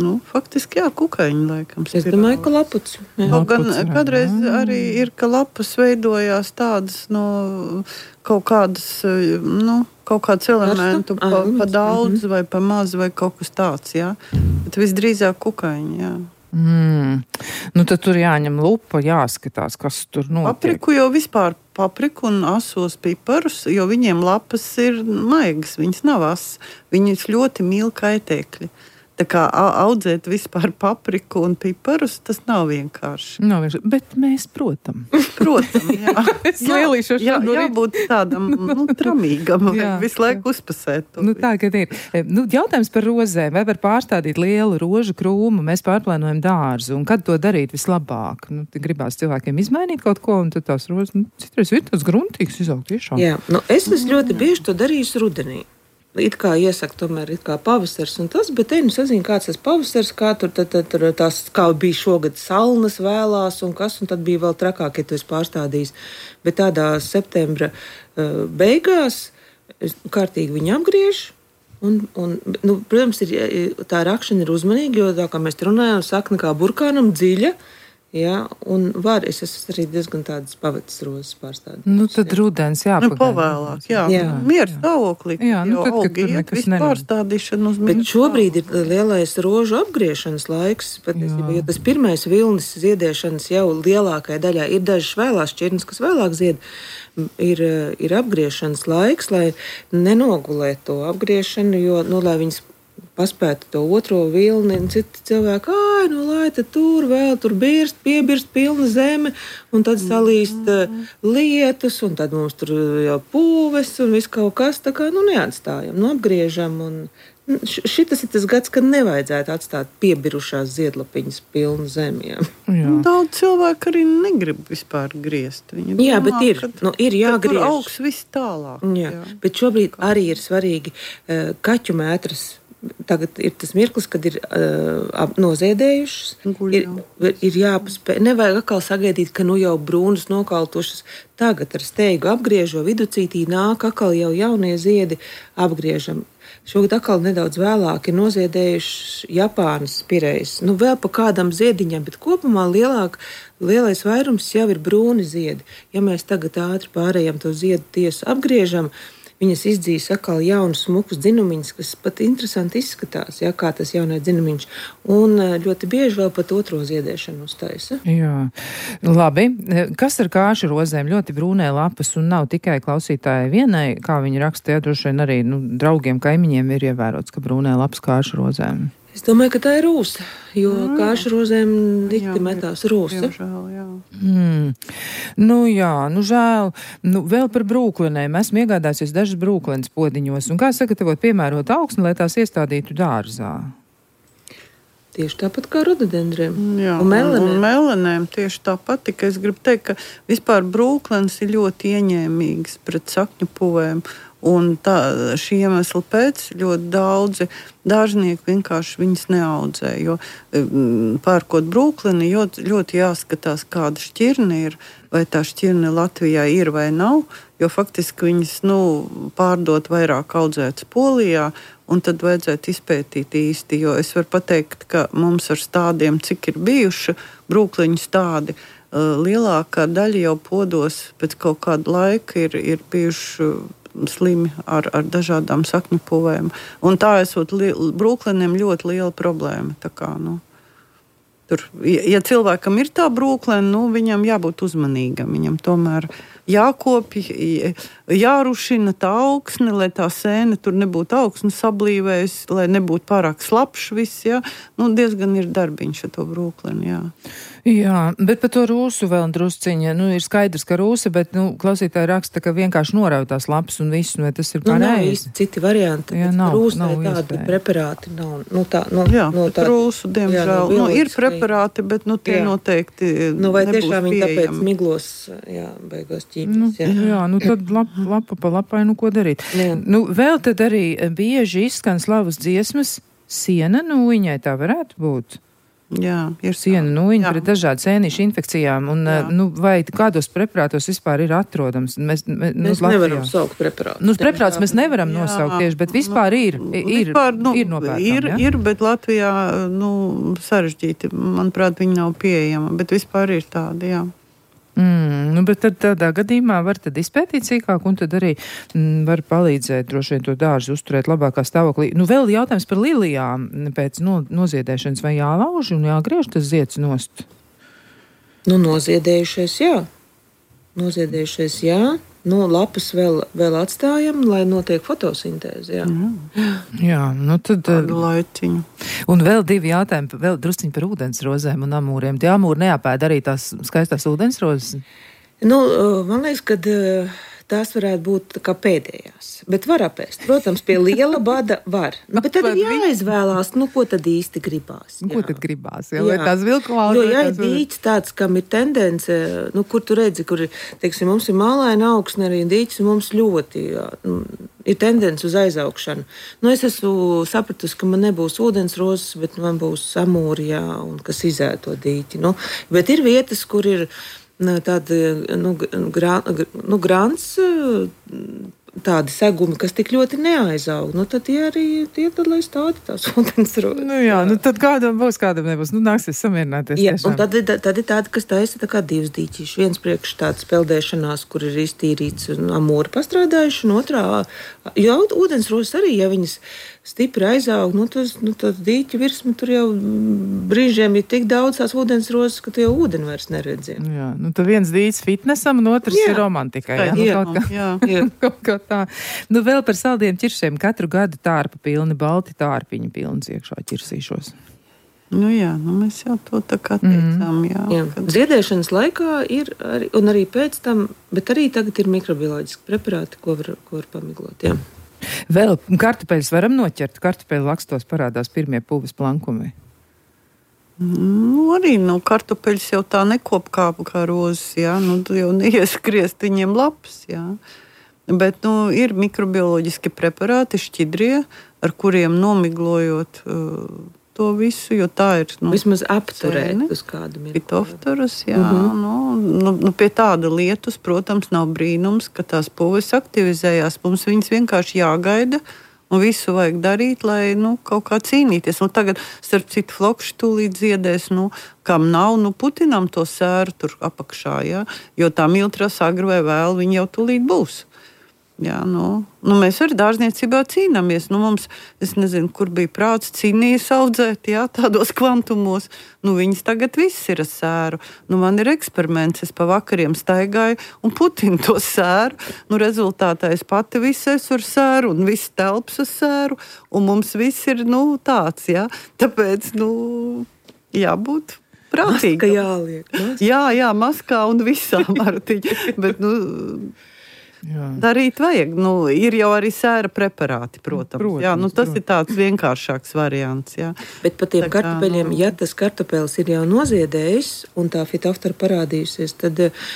nu, faktiski, jā, kukaiņi, laikam. Es domāju, ka laputs. Gan kādreiz arī ir, ka lapas veidojās tādas, no kaut kādas, nu, kaut kāds elementu pa, pa daudz vai pa maz vai kaut kas tāds, jā. Bet visdrīzāk kukaiņi, jā. Mm. Nu, tad tur jāņem lupa, jāskatās, kas tur notiek. Papriku jau vispār papriku un asos piparus, jo viņiem lapas ir maigas, viņas nav asas. Viņas ļoti mīl kaitēkļi. tā kā audzēt vispār papriku un piparus, tas nav vienkārši. Nav vienkārši, bet mēs, protam. Protam, jā. Es lielīšos jā, no jābūt tādam, nu, tramīgam, Jā, visu laiku uzpasēt. to Nu, visu. tā, kad ir. Nu, jautājums par rozēm. Vai var pārstādīt lielu rožu krūmu? Mēs pārplānojam dārzu. Un kad to darīt vislabāk? Nu, gribās cilvēkiem izmainīt kaut ko, un tad tās rozes, nu, citreiz ir tāds gruntīgs izaugt tiešām. Jā, nu, es esmu ļoti bieži to darījusi rudenī. It kā iesaka, tomēr ir kā pavasars un tas, bet te nu sazina, kāds tas pavasars, kā tur, tad, tad, tur tās, kā bija šogad salnas vēlās un kas, un tad bija vēl trakāk, ja tu esi pārstādījis. Bet tādā septembra uh, beigās es kārtīgi viņu apgriež. Un, un, nu, protams, ir, tā rakšana ir uzmanīga, jo tā kā mēs runājam, sakna kā burkānam dziļa. Jā, un var, es esmu arī diezgan tādas pavatas rozes pārstādījis. Nu, tad rudens Nu, jāpagaida. pavēlāk, jā. Jā. Mieru stāvoklī. Jā, nu, jau tad, kad augi tur iet, nekas visu nenotiek. pārstādīšanu uz Bet mieru šobrīd ir lielais rožu apgriešanas laiks. Patiesībā, jo tas pirmais vilnis ziedēšanas jau lielākajai daļai ir dažas vēlās šķirnes, kas vēlāk zied. Ir, ir apgriešanas laiks, lai nenogulētu to apgriešanu, jo, nu, lai viņas paspētu to otro vilni, un citi cilvēki, ai, nu, lai tad tur vēl tur birst, piebirst pilna zeme, un tad salīst uh, lietus, un tad mums tur jau pūves, un viss kaut kas, tā kā, nu, neatstājam, nu, apgriežam, un nu, šitas ir tas gads, kad nevajadzētu atstāt piebirušās ziedlapiņas pilnu zemi, jā. Jā. Daudz cilvēku arī negrib vispār griezt. Viņi Jā, domā, bet ir, kad- nu, ir kad jāgriež. Tur augs viss tālāk. Jā, bet šobrīd arī ir svarīgi uh, kaķu mētras. Tagad ir tas mirklis, kad ir uh, noziedējušas. Guļ Ir, jau. ir jāpaspēj. Nevajag atkal sagaidīt, ka nu jau brūnas nokaltušas. Tagad ar steigu apgriežo viducītī nāk atkal jau jaunie ziedi apgriežam. Šogad atkal nedaudz vēlāk ir noziedējušas Japānas pirejas. Nu, vēl pa kādam ziediņam, bet kopumā lielāk, lielais vairums jau ir brūni ziedi. Ja mēs tagad ātri pārējām to ziedu tiesu apgriežam, viņas izdzīs atkal jaunus, smukus dzinumiņus, kas pat interesanti izskatās, ja, kā tas jaunais dzinumiņš. Un ļoti bieži vēl pat otro ziedēšanu uztaisa. Jā, labi. Kas ar kāšu rozēm? Ļoti brūnē lapas un nav tikai klausītāji vienai, kā viņi raksta, ja droši vien arī nu, draugiem, kaimiņiem ir ievērots, ka brūnē lapas kāšu rozēm. Es domāju, ka tā ir rūsa, jo kāšu rozēm dikti metās rūsa. Diemžēl, jā. Mm. Nu jā, nu žēl. Nu, vēl par brūklinēm. Esmu iegādājusies dažas brūklenes podiņos. Un kā sagatavot piemērot augsni, lai tās iestādītu dārzā? Tieši tāpat kā rododendriem. Jā, Un un, melanēm. un melanēm tieši tāpat, tikai es gribu teikt, ka vispār brūklens ir ļoti ieņēmīgs pret sakņu puvēm. Un tā, šī iemesla pēc ļoti daudzi dārznieki vienkārši viņas neaudzē. Jo mm, pērkot brūklini, ļoti, ļoti jāskatās, kāda šķirne ir, vai tā šķirne Latvijā ir vai nav. Jo faktiski viņas nu, pārdot vairāk audzētas Polijā, un tad vajadzētu izpētīt īsti. Jo es varu pateikt, ka mums ar stādiem, cik ir bijuši brūkliņu stādi, lielākā daļa jau podos pēc kaut kāda laika ir, ir bijuši slimi ar, ar dažādām sakņu puvēm. Un tā esot li, brūkleniem ļoti liela problēma. Tā kā, nu, tur, ja, ja cilvēkam ir tā brūklene, nu, viņam jābūt uzmanīgam. Viņam tomēr jākopj, jārušina tā augsne, lai tā sēne tur nebūtu augsne sablīvējusi, lai nebūtu pārāk slapšs viss. Ja? Nu, diezgan ir darbiņš ar to brūkleni, jā. Jā, bet par to rūsu vēl drusciņa. Nu, ir skaidrs, ka rūsa, bet, nu, klausītāji raksta, ka vienkārši norauj tās lapas un visu, vai tas ir Nu, nav pareizi? īsti citi varianti. Jā, nav, Rūsai nav tādi iespēja. preparāti nav. Nu, tā, nu, Jā, nu, bet rūsu, diemžēl, jā, nu, ir bioloģiskai- preparāti, bet nu, tie Jā. noteikti Nu, vai nebūs tiešām viņi tāpēc pieejami. miglos, jā, beigās Nu, ķīpjas, jā. jā, nu tad lap, lapa pa lapai, nu ko darīt? Jā. Nu, vēl tad arī bieži izskan slavas dziesmas siena nūjiņai, tā varētu būt. Jā, ir Siena tā. nūjiņa Jā. pret dažādu sēnīšu infekcijām, un Jā. nu, vai kādos preparātos vispār ir atrodams? Mēs, mēs, nu, Mēs Latvijā. nevaram saukt preparātus. Nu, preparātus mēs nevaram Jā, nosaukt tieši, bet vispār ir, ir, Vispār, nu, ir nopērkam, ir, ja? ir, bet Latvijā nu, sarežģīti. Manuprāt, viņi nav pieejama, bet vispār ir tādi, jā. Mm, nu, bet tad tādā gadījumā var tad izpētīt sīkāk un tad arī mm, var palīdzēt droši vien to dārzu uzturēt labākā stāvoklī. Nu, vēl jautājums par lilijām pēc no, noziedēšanas, vai jālauž un jāgriež tas zieds nost? Nu, noziedējušies, jā. Noziedējušies, jā. nu, lapas vēl, vēl atstājam, lai notiek fotosintēze. Jā, jā. jā nu tad... Tādu laiciņu. Un vēl divi jautājumi, vēl drusciņi par ūdensrozēm un amūriem. Tie amūri neapēd arī tās skaistās ūdensrozes? Nu, man liekas, ka tās varētu būt kā pēdējās, bet var apēst. Protams, pie liela bada var. Nu, bet tad ir jāizvēlās, nu, ko tad īsti gribās. Jā. Ko tad gribās? Jā, vai tās vilkumās? Jo, ja ir dīķis tāds, kam ir tendence, nu, kur tu redzi, kur, teiksim, mums ir mālaina augsne arī dīķis, un mums ļoti jā, nu, ir tendence uz aizaugšanu. Nu, es esmu sapratusi, ka man nebūs ūdensrozes, bet man būs amūri, jā, un kas izēd to dīķi. Nu, bet ir vietas, kur ir tādi, nu, gra, nu, grants, tādi segumi, kas tik ļoti neaizaug. Nu, tad tie arī tie, tad, lai stādi tās ūdensrozes. Nu jā, nu tad kādam būs, kādam nebūs. Nu, nāksies samierināties. Jā, tiešām. Un tad, tad ir tādi, kas taisa tā kā divas dīķīši. Viens priekš tāds peldēšanās, kur ir iztīrīts un amūri pastrādājuši, un otrā, jo ūdensrozes arī, ja viņas stipri aizaug, nu, tas, nu, tad dīķa virsma tur jau brīžiem ir tik daudz tās ūdensrozes, ka tu jau ūdeni vairs neredzi. Jā, nu tad viens dīķis fitnesam, un otrs jā. ir romantikai. Jā, nu, jā, kaut kā, jā, jā. kaut kā tā. Nu vēl par saldiem ķiršiem. Katru gadu tārpa pilni, balti tārpiņi pilns iekšā ķirsīšos. Nu jā, nu mēs jau to tā kā teicām, jā. jā. Kad... Ziedēšanas laikā ir, arī, un arī pēc tam, bet arī tagad ir mikrobioloģiski preparāti, ko var, ko var pamiglot, jā. Vēl kartupeļus varam noķert? Kartupeļu lakstos parādās pirmie pulves plankumi. Nu, arī no kartupeļus jau tā nekop kā, kā rozes, jā. Nu, tu jau neieskriezt viņiem lapas, jā. Bet, nu, ir mikrobioloģiski preparāti, šķidrie, ar kuriem nomiglojot uh, to visu, jo tā ir... Nu, vismaz apturēt uz kādu mirkli. Pitoftorus, jā. Mm-hmm. nu, nu, nu, pie tāda lietus, protams, nav brīnums, ka tās pulves aktivizējās. Mums viņas vienkārši jāgaida un visu vajag darīt, lai nu, kaut kā cīnīties. Un tagad, starp citu, flokši tūlīt ziedēs, nu, kam nav, nu, putinam to sēru tur apakšā, jā. Jo tā miltras agri vai vēl viņi jau tūlīt būs. Jā, nu, nu mēs arī dārzniecībā cīnāmies. Nu, mums, es nezinu, kur bija prāts cīnījas audzēt, jā, tādos kvantumos. Nu, viņas tagad viss ir ar sēru. Nu, man ir eksperiments, es pa vakariem staigāju un putinu to sēru. Nu, rezultātā es pati visu esmu ar sēru un viss telps ar sēru. Un mums viss ir, nu, tāds, jā. Tāpēc, nu, jābūt prātīgam. Maska jāliek. Maska. Jā, jā, maskā un visām artiņi. Bet, nu... Jā. Darīt vajag. Nu, ir jau arī sēra preparāti, protams. protams jā, nu, tas protams. Ir tāds vienkāršāks variants. Jā. Bet par tiem tā kā, kartupeļiem, nu... ja tas kartupeļs ir jau noziedējis un tā fitoftora parādījusies, tad uh,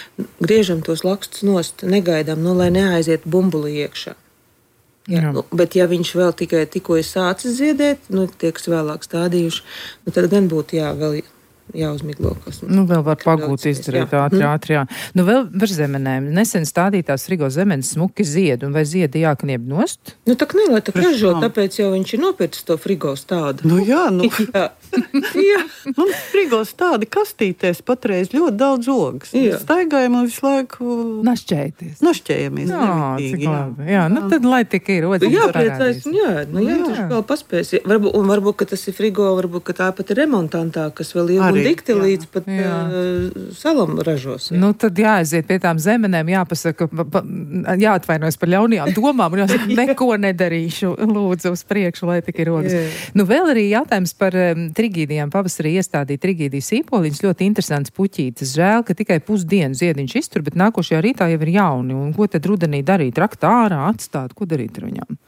griežam tos lakstus nost, negaidām, nu, lai neaiziet bumbuli iekšā. Jā, jā. Nu, bet ja viņš vēl tikai tikko ir sācis ziedēt, nu, tie, kas vēlāk stādījuši, nu, tad gan būtu jā, vēl jāuzmiglo. Kas, nu, vēl var pagūt izdarīt ātri, ātri, jā. Nu, vēl par zemenēm. Nesen stādītās frigo zemenes smuki zied, un vai ziedi jāknieb nost? Nu, tā kā ne, lai tā ražo, tāpēc jau viņš ir nopircis to frigo stādu. Nu, jā, nu. jā. jā. Mums frigo stādi kastītēs patreiz ļoti daudz ogas. Mēs staigājam un visu laiku... Našķēties. Našķējamies. Jā, cik labi. Jā, nu tad lai tik ir. Jā, priecājas. Jā, nu jā, tas vēl paspēs. Varbūt, un varbūt, ka tas ir frigo, varbūt, ka tā pat ir remontantā, kas vēl ir dikti jā. Līdz pat uh, salam ražos. Jā. Nu, tad jāaiziet pie tām zemenēm, jāpasaka, pa, jāatvainojas par ļaunajām domām un jāsaka, neko nedarīšu, lūdzu uz priekšu, lai tik ir rodas. Nu, vēl arī jautājums par um, trigīdijām. Pavasarī iestādīja trigīdijas īpoliņas, ļoti interesants puķītis. Žēl, ka tikai pusdienu ziediņš iztur, bet nākošajā rītā jau ir jauni. Un ko tad rudenī darīt? Rakt ārā, atstāt? Ko darīt ar viņām?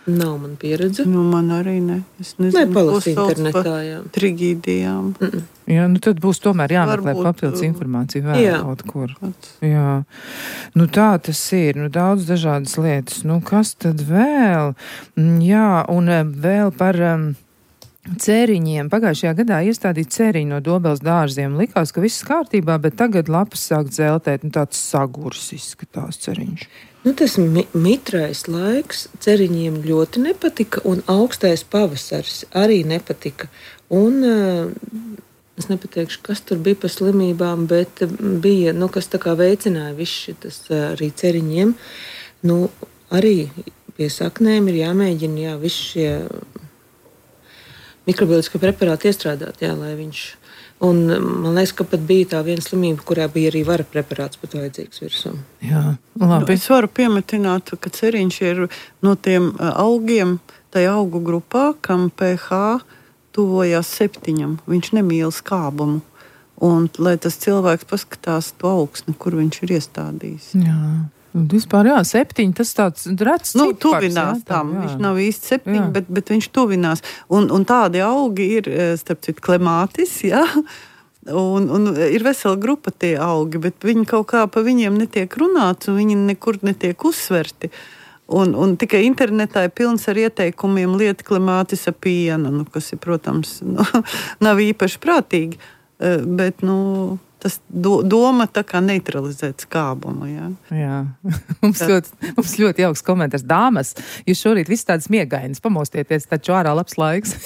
Nav man pieredze. Nu, man arī ne. Es nezinu, ko internetā, jā. Trigīdijām. Mm -mm. Jā, nu tad būs tomēr jāmeklē papildus informācija vēl jā. Kaut kur. Jā. Nu tā tas ir. Nu daudz dažādas lietas. Nu kas tad vēl? Jā, un vēl par... Um, Cēriņiem. Pagājušajā gadā iestādīt cēriņu no Dobeles dārziem. Likās, ka viss kārtībā, bet tagad lapas sāk dzeltēt. Nu, tāds sagurs izskatās ceriņš. Nu, tas mi mitrais laiks ceriņiem ļoti nepatika, un augstais pavasaris arī nepatika. Un uh, es nepateikšu, kas tur bija pa slimībām, bet bija, nu, kas tā kā veicināja viss šitas uh, arī ceriņiem. Nu, arī pie saknēm ir jāmēģina, jā, visi šie mikrobioloģiskie preparāti iestrādāt, jā, lai viņš Un man liekas, ka pat bija tā viena slimība, kurā bija arī vara preparāts pat vajadzīgs virsū. Jā, labi. Es varu piemetināt, ka ceriņš ir no tiem augiem, tajā augu grupā, kam pH tuvojās septiņam. Viņš nemīl skābumu. Un lai tas cilvēks paskatās to augsni, kur viņš ir iestādījis. Jā. Vispār, jā, septiņi, tas tāds rets nu, cipars. Tuvinās jā, tam, jā. Viņš nav īsti septiņi, bet, bet viņš tuvinās. Un, un tādi augi ir, starp citu, klemātis, jā. Un, un ir vesela grupa tie augi, bet viņi kaut kā pa viņiem netiek runāts, un viņi nekur netiek uzsverti. Un, un tikai internetā ir pilns ar ieteikumiem liet klemātis ar pienu, nu, kas ir, protams, nu, nav īpaši prātīgi, bet, nu... Tas do, doma tā kā neutralizēt skābumu. Jā, jā. mums, ļoti, mums ļoti jauks komentārs. Dāmas, jūs šorīt viss tāds miegainis, pamostieties, taču ārā labs laiks.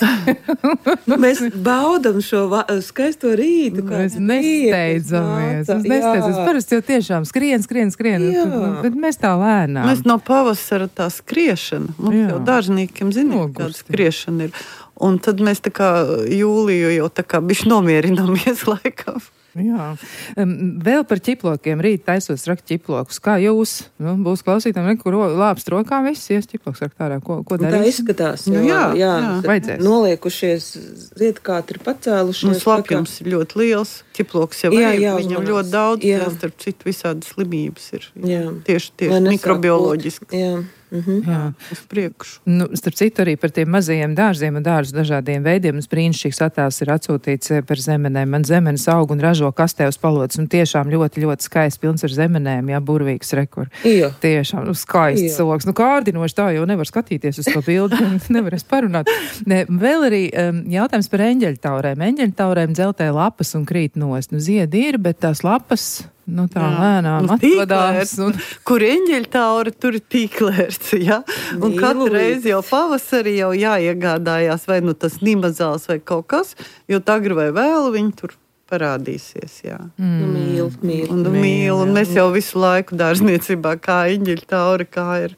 nu, mēs baudam šo va- skaisto rītu. Mēs nesteidzamies. Mēs nesteidzamies. Parasti jau tiešām skrien, skrien, skrien. Jā. Bet mēs tā lēnām. Mēs no pavasara tā skriešana. Mums jā. Jau dārzniekiem zinām, kāda skriešana ir. Un tad mēs tā kā jūliju jau tā kā bišķi nomierināmies laikam. Jā. Vēl par ķiplokiem. Rīt taisos rakt ķiplokus. Kā jūs? Nu, būs klausītājiem, kur lāpst rokām viss, ies ķiploks rakt ārā. Ko, ko darīs? Tā izskatās. Jo, jā, jā, jā. Vajadzēs. Noliekušies, ziedkāti ir pacēlušies. Nu, slapjums ir ļoti liels. Ķiploks jau jā, ir. Jā, viņam uzmanās. Ļoti daudz. Jā. Jā, starp citu visādi slimības ir. Jā. Tieši, tieši mikrobioloģiski. Jā. Mhm. Jā. Uz priekšu. Nu, starp citu arī par tiem mazajiem dārziem un dārzu dažādiem veidiem. Un brīnišķīgs attēls ir atsūtīts par zemenēm. Man zemenes aug un ražo kastē uz palodes. Un tiešām ļoti, ļoti skaists, pilns ar zemenēm. Jā, burvīgs rekur. Jā. Tiešām, nu, skaists cilvēks. Nu, kārdinoši tā jau nevar skatīties uz to bildi. Nevarēs parunāt. Ne, vēl arī um, jautājums par eņģeļtaurēm. Eņģeļtaurēm dzeltē lapas un krīt nost. Nu, ziedi ir, bet tās lapas... Nu, tā jā. Lēnām atvadās. Un... Kur eņģeļtaura, tur ir tīklērts, ja? Un katru reizi jau pavasarī jau jāiegādājās, vai nu tas nimazāls vai kaut kas, jo agri vai vēl viņi tur parādīsies, jā. Mm. Nu, mīl, mīl. Un, mīl, un mēs jau visu laiku dārzniecībā, kā eņģeļtaura, kā ir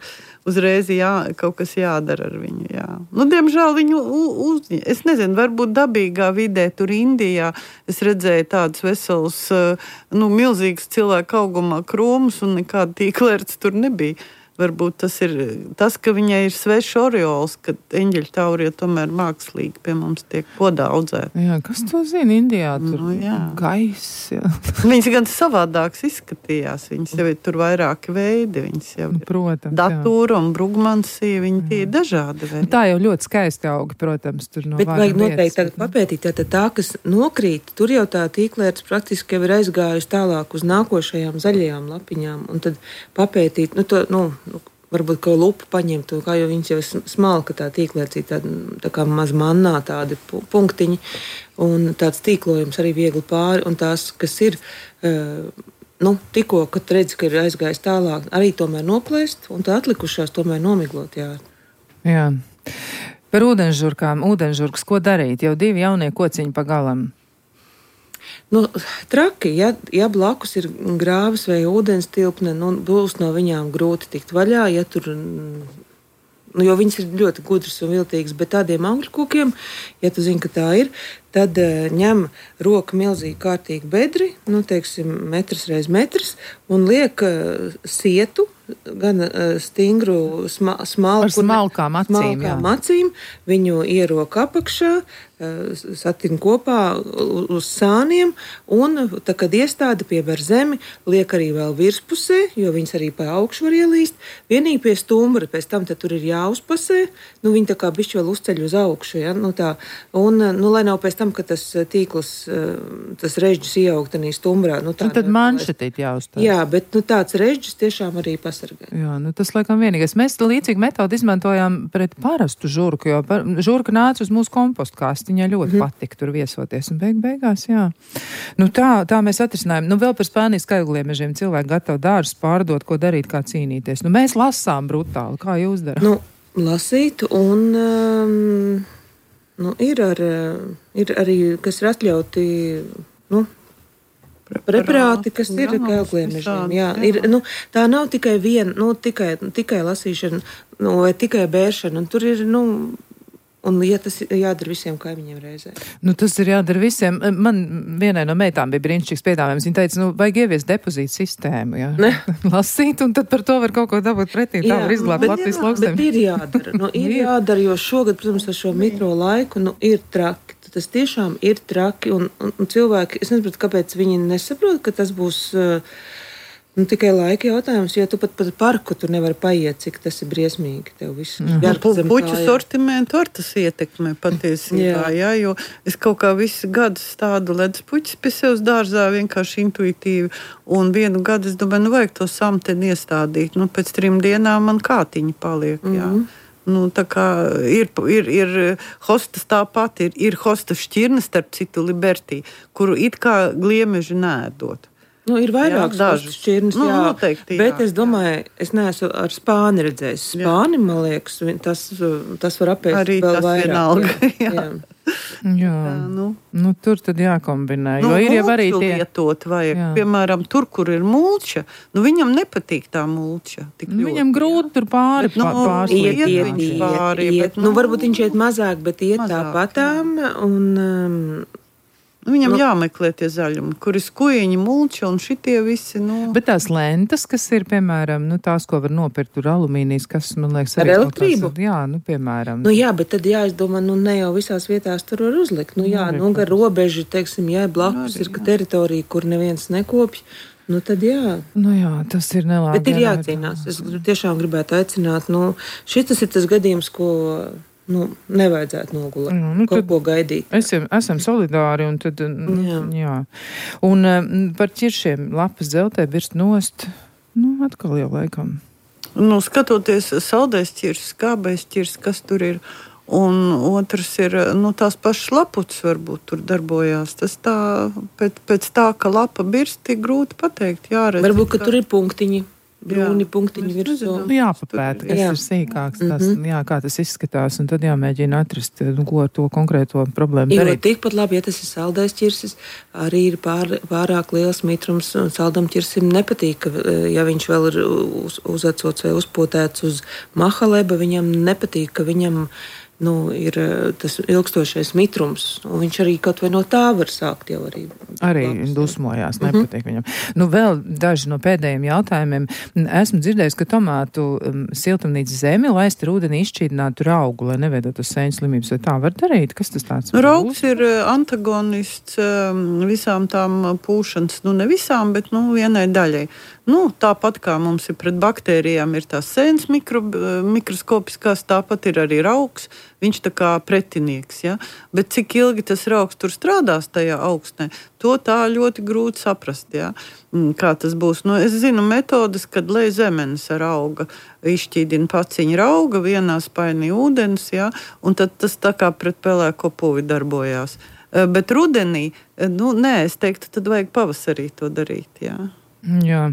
uzreiz jā, kaut kas jādara ar viņu, jā. Nu, diemžēl viņu uz... Es nezinu, varbūt dabīgā vidē, tur Indijā, es redzēju tādus veselus, nu, milzīgus cilvēku augumā krūmus un nekāda tīklērts tur nebija. Varbūt tas ir tas, ka viņai ir svešs oriols, ka eņģeļtaurie tomēr mākslīgi pie mums tiek podā audzēti. Jā, kas to zina Indijā? Tur nu, gaiss, jā. Viņas gan savādāks izskatījās. Viņas jau ir tur vairāki veidi. Viņas jau nu, protams, datūra un brugmansija, viņi tie ir dažādi veidi. Tā jau ļoti skaisti augi, protams, tur no bet vajag noteikti tagad papētīt, tātad tā, kas nokrīt, tur jau tā tīklērts praktiski jau ir aizgājusi tālāk uz nākošajām zaļajām lapiņām, un tad papētīt, nu, to, nu, Nu, varbūt kaut lupu paņemt, kā jau viņas jau smalka tā tīklērcī, tā, tā kā maz mannā tādi punktiņi, un tāds tīklojums arī viegli pāri, un tās, kas ir, uh, nu, tikko, kad redz, ka ir aizgājis tālāk, arī tomēr noplēst, un tā atlikušās tomēr nomiglot, jā. Jā. Par ūdenžurkām, ūdenžurkas, ko darīt? Jau divi jaunie kociņi pa galam. Nu, traki, ja, ja blakus ir grāvis vai ūdens tilpne, nu, būs no viņām grūti tikt vaļā, ja tur, nu, jo viņas ir ļoti gudras un viltīgas, bet tādiem augļu kokiem, ja tu zini, ka tā ir, tad uh, ņem roku milzīgi kārtīgi bedri, nu, teiksim, metrs reiz metrs, un liek uh, sietu, gan uh, stingru sma, smalku, ar smalkām acīm, smalkām acīm, viņu ierok apakšā, uh, satin kopā uz sāniem, un, tā, kad iestāda pieber zemi, liek arī vēl virspusē, jo viņas arī pa augšu var ielīst, vienīgi pie stumbra, pēc tam tad tur ir jāuzpasē, nu, viņi tā kā bišķi vēl uzceļ uz augšu, ja, nu tā, un, nu, lai nav pēc tam, ka tas tīkls, tas režģis ieaugt tanī stumbrā, nu, tā. Un tad manšetīt jāuzstāst. Jā, bet, nu, tāds režģis tiešām arī pasargā. Jā, nu tas laikam vienīgais. Mēs līdzīgi metodu izmantojām pret parastu žurku, jo par, žurka nāca uz mūsu kompostu kāsti, viņai ļoti mm. patika tur viesoties, un beig beigās, jā. Nu tā, tā mēs atrisinājām. Nu vēl par Spānijas skaļgliemežiem cilvēki gatavi dārzus pārdot, ko darīt, kā cīnīties. Nu mēs lasām brutāli, kā jūs darāt? Nu, lasīt, un um, nu, ir, ar, ir arī, kas ir atļauti, nu, preparāti, kas ir kailgliemežiem. Jā, ir, nu, tā nav tikai viena, nu, tikai, tikai lasīšana, nu, vai tikai bēršana, un tur ir, nu, Un, ja tas ir jādara visiem kaimiņiem reizē. Nu, tas ir jādara visiem. Man vienai no meitām bija brīnišķīgs piedāvājums. Viņa teica, nu, vajag ieviest depozītu sistēmu, jā. Lasīt, un tad par to var kaut ko dabūt pretī. Tā var izglābt Latvijas lauksaimnieku. Bet ir jādara. Nu, ir jādara, jo šogad, protams, ar šo mitro laiku, nu, ir traki. Tas tiešām ir traki, un, un, un cilvēki, es nesaprotu, kāpēc viņi nesaprot, ka tas būs nu, tikai laika jautājums, jo tu pat par parku tur nevari paiet, cik tas ir briesmīgi tev viss. Puķu sortimentu var tas ietekmē patiesībā, jā, jo es kaut kā visu gadu stādu ledus puķis pie sevis dārzā vienkārši intuitīvi, un vienu gadu es domāju, nu vajag to samteni iestādīt, nu pēc trim dienām man kātiņi paliek, jā. Mm-hmm. Nu, tā kā ir, ir, ir hostas tāpat, ir, ir hostas šķirne, starp citu Libertī, kuru it kā gliemeži nēdot. Nu, ir vairākas hostas šķirnes, nu, jā, noteikti, bet jā, es domāju, jā. Es neesmu ar spāni redzējis. Spāni, jā. Man liekas, tas, tas var apēst arī vēl tas vairāk. Vienalga, jā. Jā. Jā, jā nu. Nu, tur tad jākombinē, nu, jo ir jau arī tie... lietot vajag, jā. Piemēram, tur, kur ir mulča, nu viņam nepatīk tā mulča. Tik nu, ļoti, viņam grūti tur pāri, bet, nu, pārslīt. Iet, iet, iet, pāri, iet, bet, nu, nu, varbūt viņš iet mazāk, bet iet mazāk, tāpatām, un... Um, Viņam nu, jāmeklē tie zaļumi, kur ir skujiņi, mulča un šitie visi. Nu... Bet tās lentas, kas ir, piemēram, nu, tās, ko var nopirkt, tur alumīnijas, kas, man liekas, ar elektrību? Tās, jā, nu, piemēram. Nu, jā, bet tad jāizdomā, nu, ne jau visās vietās tur var uzlikt. Nu, jā, nu, gar robeži, teiksim, jā, blakus ir teritorija, kur neviens nekopj. Nu, tad jā. Nu, jā, tas ir nelāgi. Bet ir jācīnās. Es tiešām gribētu aicināt, nu, šitas ir tas gadījums, ko... Nu, nevajadzētu nogulēt, jā, nu, kaut ko gaidīt. Esam, esam solidāri, un tad, jā. Jā. Un par ķiršiem lapas dzeltē birst nost, nu, atkal jau laikam. Nu, skatoties saldais ķirs, skābais ķirs, kas tur ir, un otrs ir, nu, tās pašas lapuces varbūt tur darbojās. Tas tā, pēc, pēc tā, ka lapa birst, ir grūti pateikt, jāredz. Varbūt, ka tur ir punktiņi. Brūni punktiņi virsū. Jāpapēta, kas jā. Ir sīkāks, tas, mm-hmm. jā, kā tas izskatās, un tad jāmēģina atrast, nu, ko ar to konkrēto problēmu jo, darīt. Tikpat labi, ja tas ir saldais ķirsis, arī ir pār, pārāk liels mitrums, un saldam ķirsim nepatīk, ka, ja viņš vēl ir uz, uzacots vai uzpotēts uz mahaleba, viņam nepatīk, ka viņam nu, ir tas ilgstošais mitrums, un viņš arī kaut vai no tā var sākt jau arī. Arī dusmojās, nepatīk mm-hmm. viņam. Nu, vēl daži no pēdējiem jautājumiem. Esmu dzirdējis, ka tomātu um, siltumnīcas zemi laist ar ūdeni izšķīdinātu raugu, lai neveidotu sēņu slimības, vai tā var darīt? Kas tas tāds? Nu, raugs ir antagonists um, visām tām pūšanas, nu ne visām, bet nu vienai daļai. Nu, tāpat kā mums ir pret baktērijām ir tās sēnes mikro, mikroskopiskās, tāpat ir arī raugs, viņš tā kā pretinieks, ja? Bet cik ilgi tas raugs tur strādās tajā augstnē, to tā ļoti grūti saprast, ja? Kā tas būs. Nu, es zinu metodas, kad lej zemenes ar auga, izšķīdina paciņu rauga, vienā spainī ūdens, ja? Un tad tas tā kā pret pelēko puvi darbojās. Bet rudenī, nu, nē, es teiktu, tad vajag pavasarī to darīt, jā. Jā,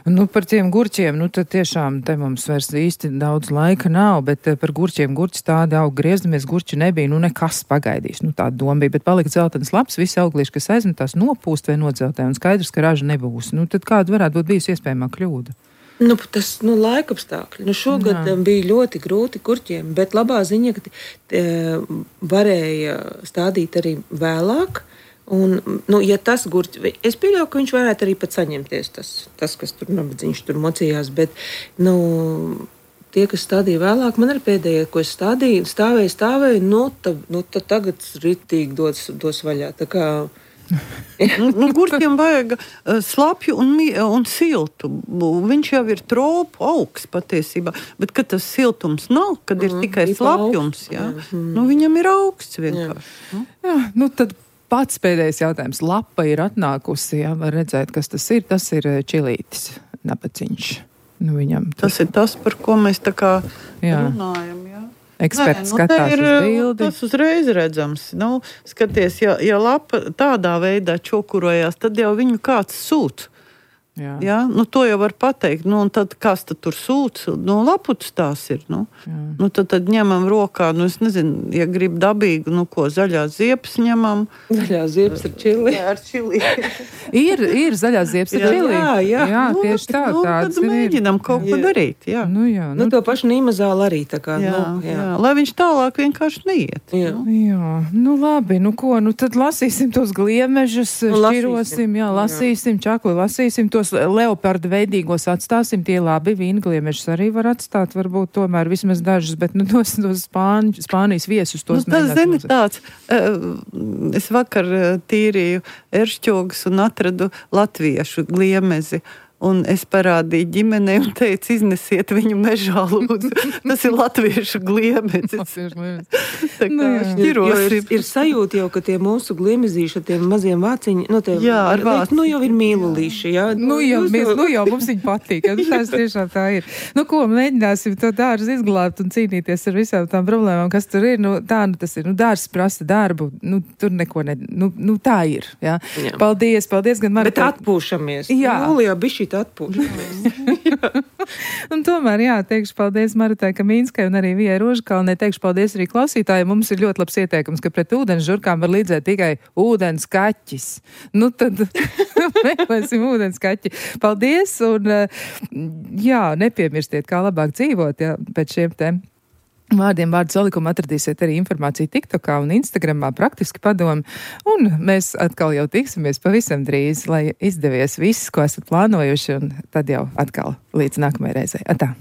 nu par tiem gurķiem, nu tad tiešām te mums vairs īsti daudz laika nav, bet par gurķiem gurķi tādi aug, griezdamies, gurķi nebija, nu nekas pagaidīs, nu tāda doma bija, bet palika dzeltenas lapas, visi auglīši, kas aizmetās, nopūst vai nodzeltē, un skaidrs, ka raža nebūs. Nu tad kāda varētu būt bijusi iespējamā kļūda? Nu, tas, nu, laikapstākļi. Nu, šogad Jā. Bija ļoti grūti gurķiem, bet labā ziņa, ka t, varēja stādīt arī vēlāk. Un, nu, ja tas gurķis, es pieļauju, ka viņš varētu arī pat saņemties, tas, tas kas tur nabadzīgs tur mocījās, bet, nu, tie, kas stādīja vēlāk, man arī pēdējie, ko es stādīju, stāvēju, stāvēju, nu, ta, nu ta tagad ritīgi dos, dos vaļā, tā kā... nu, gurķiem vajag slapju un, un siltu. Viņš jau ir tropu augsts patiesībā, bet kad tas siltums nav, kad ir mm, tikai slapjums, jā, mm. nu, viņam ir augsts vienkārši. Jā, jā nu, tad pats pēdējais jautājums. Lapa ir atnākusi, jā, var redzēt, kas tas ir. Tas ir čilītis, nabaciņš. Nu, viņam tas... tas ir tas, par ko mēs tā kā jā. Runājam, jā. Eksperts Nē, nu, skatās ir, uz bildi. Tas uzreiz redzams. Nu, skaties, ja, ja lapa tādā veidā čokurojās, tad jau viņu kāds sūt. Jā. Jā, nu, to jau var pateikt. Nu, un tad kas tad tur sūc? Nu, laputs tās ir. Nu. Nu, tad, tad ņemam rokā, nu, es nezinu, ja grib dabīgu, nu, ko zaļās ziepes ņemam. Zaļās ziepes ar čili. Jā, ar čili. ir, ir zaļās ziepes ar čili. Jā, jā. jā Nu, tieši tā. Nu, tāds tad mēģinam kaut ko Jā. darīt. Jā. Nu, jā, Nu, to pašu nīmazāli arī tā kā. Jā, Nu, jā. jā. Lai viņš tālāk vienkārši neiet. Jā. Nu. Jā, nu labi, nu ko, nu tad lasīsim tos gliemežus, Nu, šķirosim, lasīsim. jā, lasīsim, čakli lasīsim, tos leopardu veidīgos atstāsim, tie labi, vīngliemešus arī var atstāt, varbūt tomēr vismaz dažus, bet nu tos, tos Spāņu, Spānijas viesus tos Nu, tas, mēģināt zini, lūdzēt. tāds, uh, es vakar uh, tīrīju eršķogus un atradu latviešu gliemezi. Un es parādīju ģimenei un teicu, iznesiet viņu mežā, lūdzu. Tas ir latviešu gliemezis. Latviešu gliemežus. Tā kā Nu, jā. Jo ir, šķirosim. ir sajūta jau, ka tie mūsu gliemezīši ar tiem maziem vāciņiem, nu, tie, Jā, ar vāciņiem. nu jau ir mīlulīši, jā. Nu jau, Jūs mēs, nu jau mums viņi patīk, ja, tas tiešām tā ir. Nu ko, mēģināsim to dārzu izglābt un cīnīties ar visām tām problēmām, kas tur ir. Nu tā, nu tas ir, nu dārzs prasa darbu, nu tur neko ne, nu, nu tā ir, jā. Jā. Paldies, paldies gan Bet Maritai. atpūšamies. Jā. Jūlijā bišķīt atpūšamies. Un tomēr, jā, teikšu paldies Maritai Kamīnskai un arī Vijai Rožkalnei. Teikšu paldies arī klausītājiem. Mums ir ļoti labs ieteikums, ka pret ūdens žurkām var līdzēt tikai ūdens kaķis. Nu tad meklēsim ūdens kaķi. Paldies un jā, nepiemirstiet, kā labāk dzīvot, jā, pēc šiem tēm. Vārdiem vārdu salikumu atradīsiet arī informāciju TikTokā un Instagramā, praktiski padomi. Un mēs atkal jau tiksimies pavisam drīz, lai izdevies viss, ko esat plānojuši, un tad jau atkal līdz nākamajai reizei. Atā!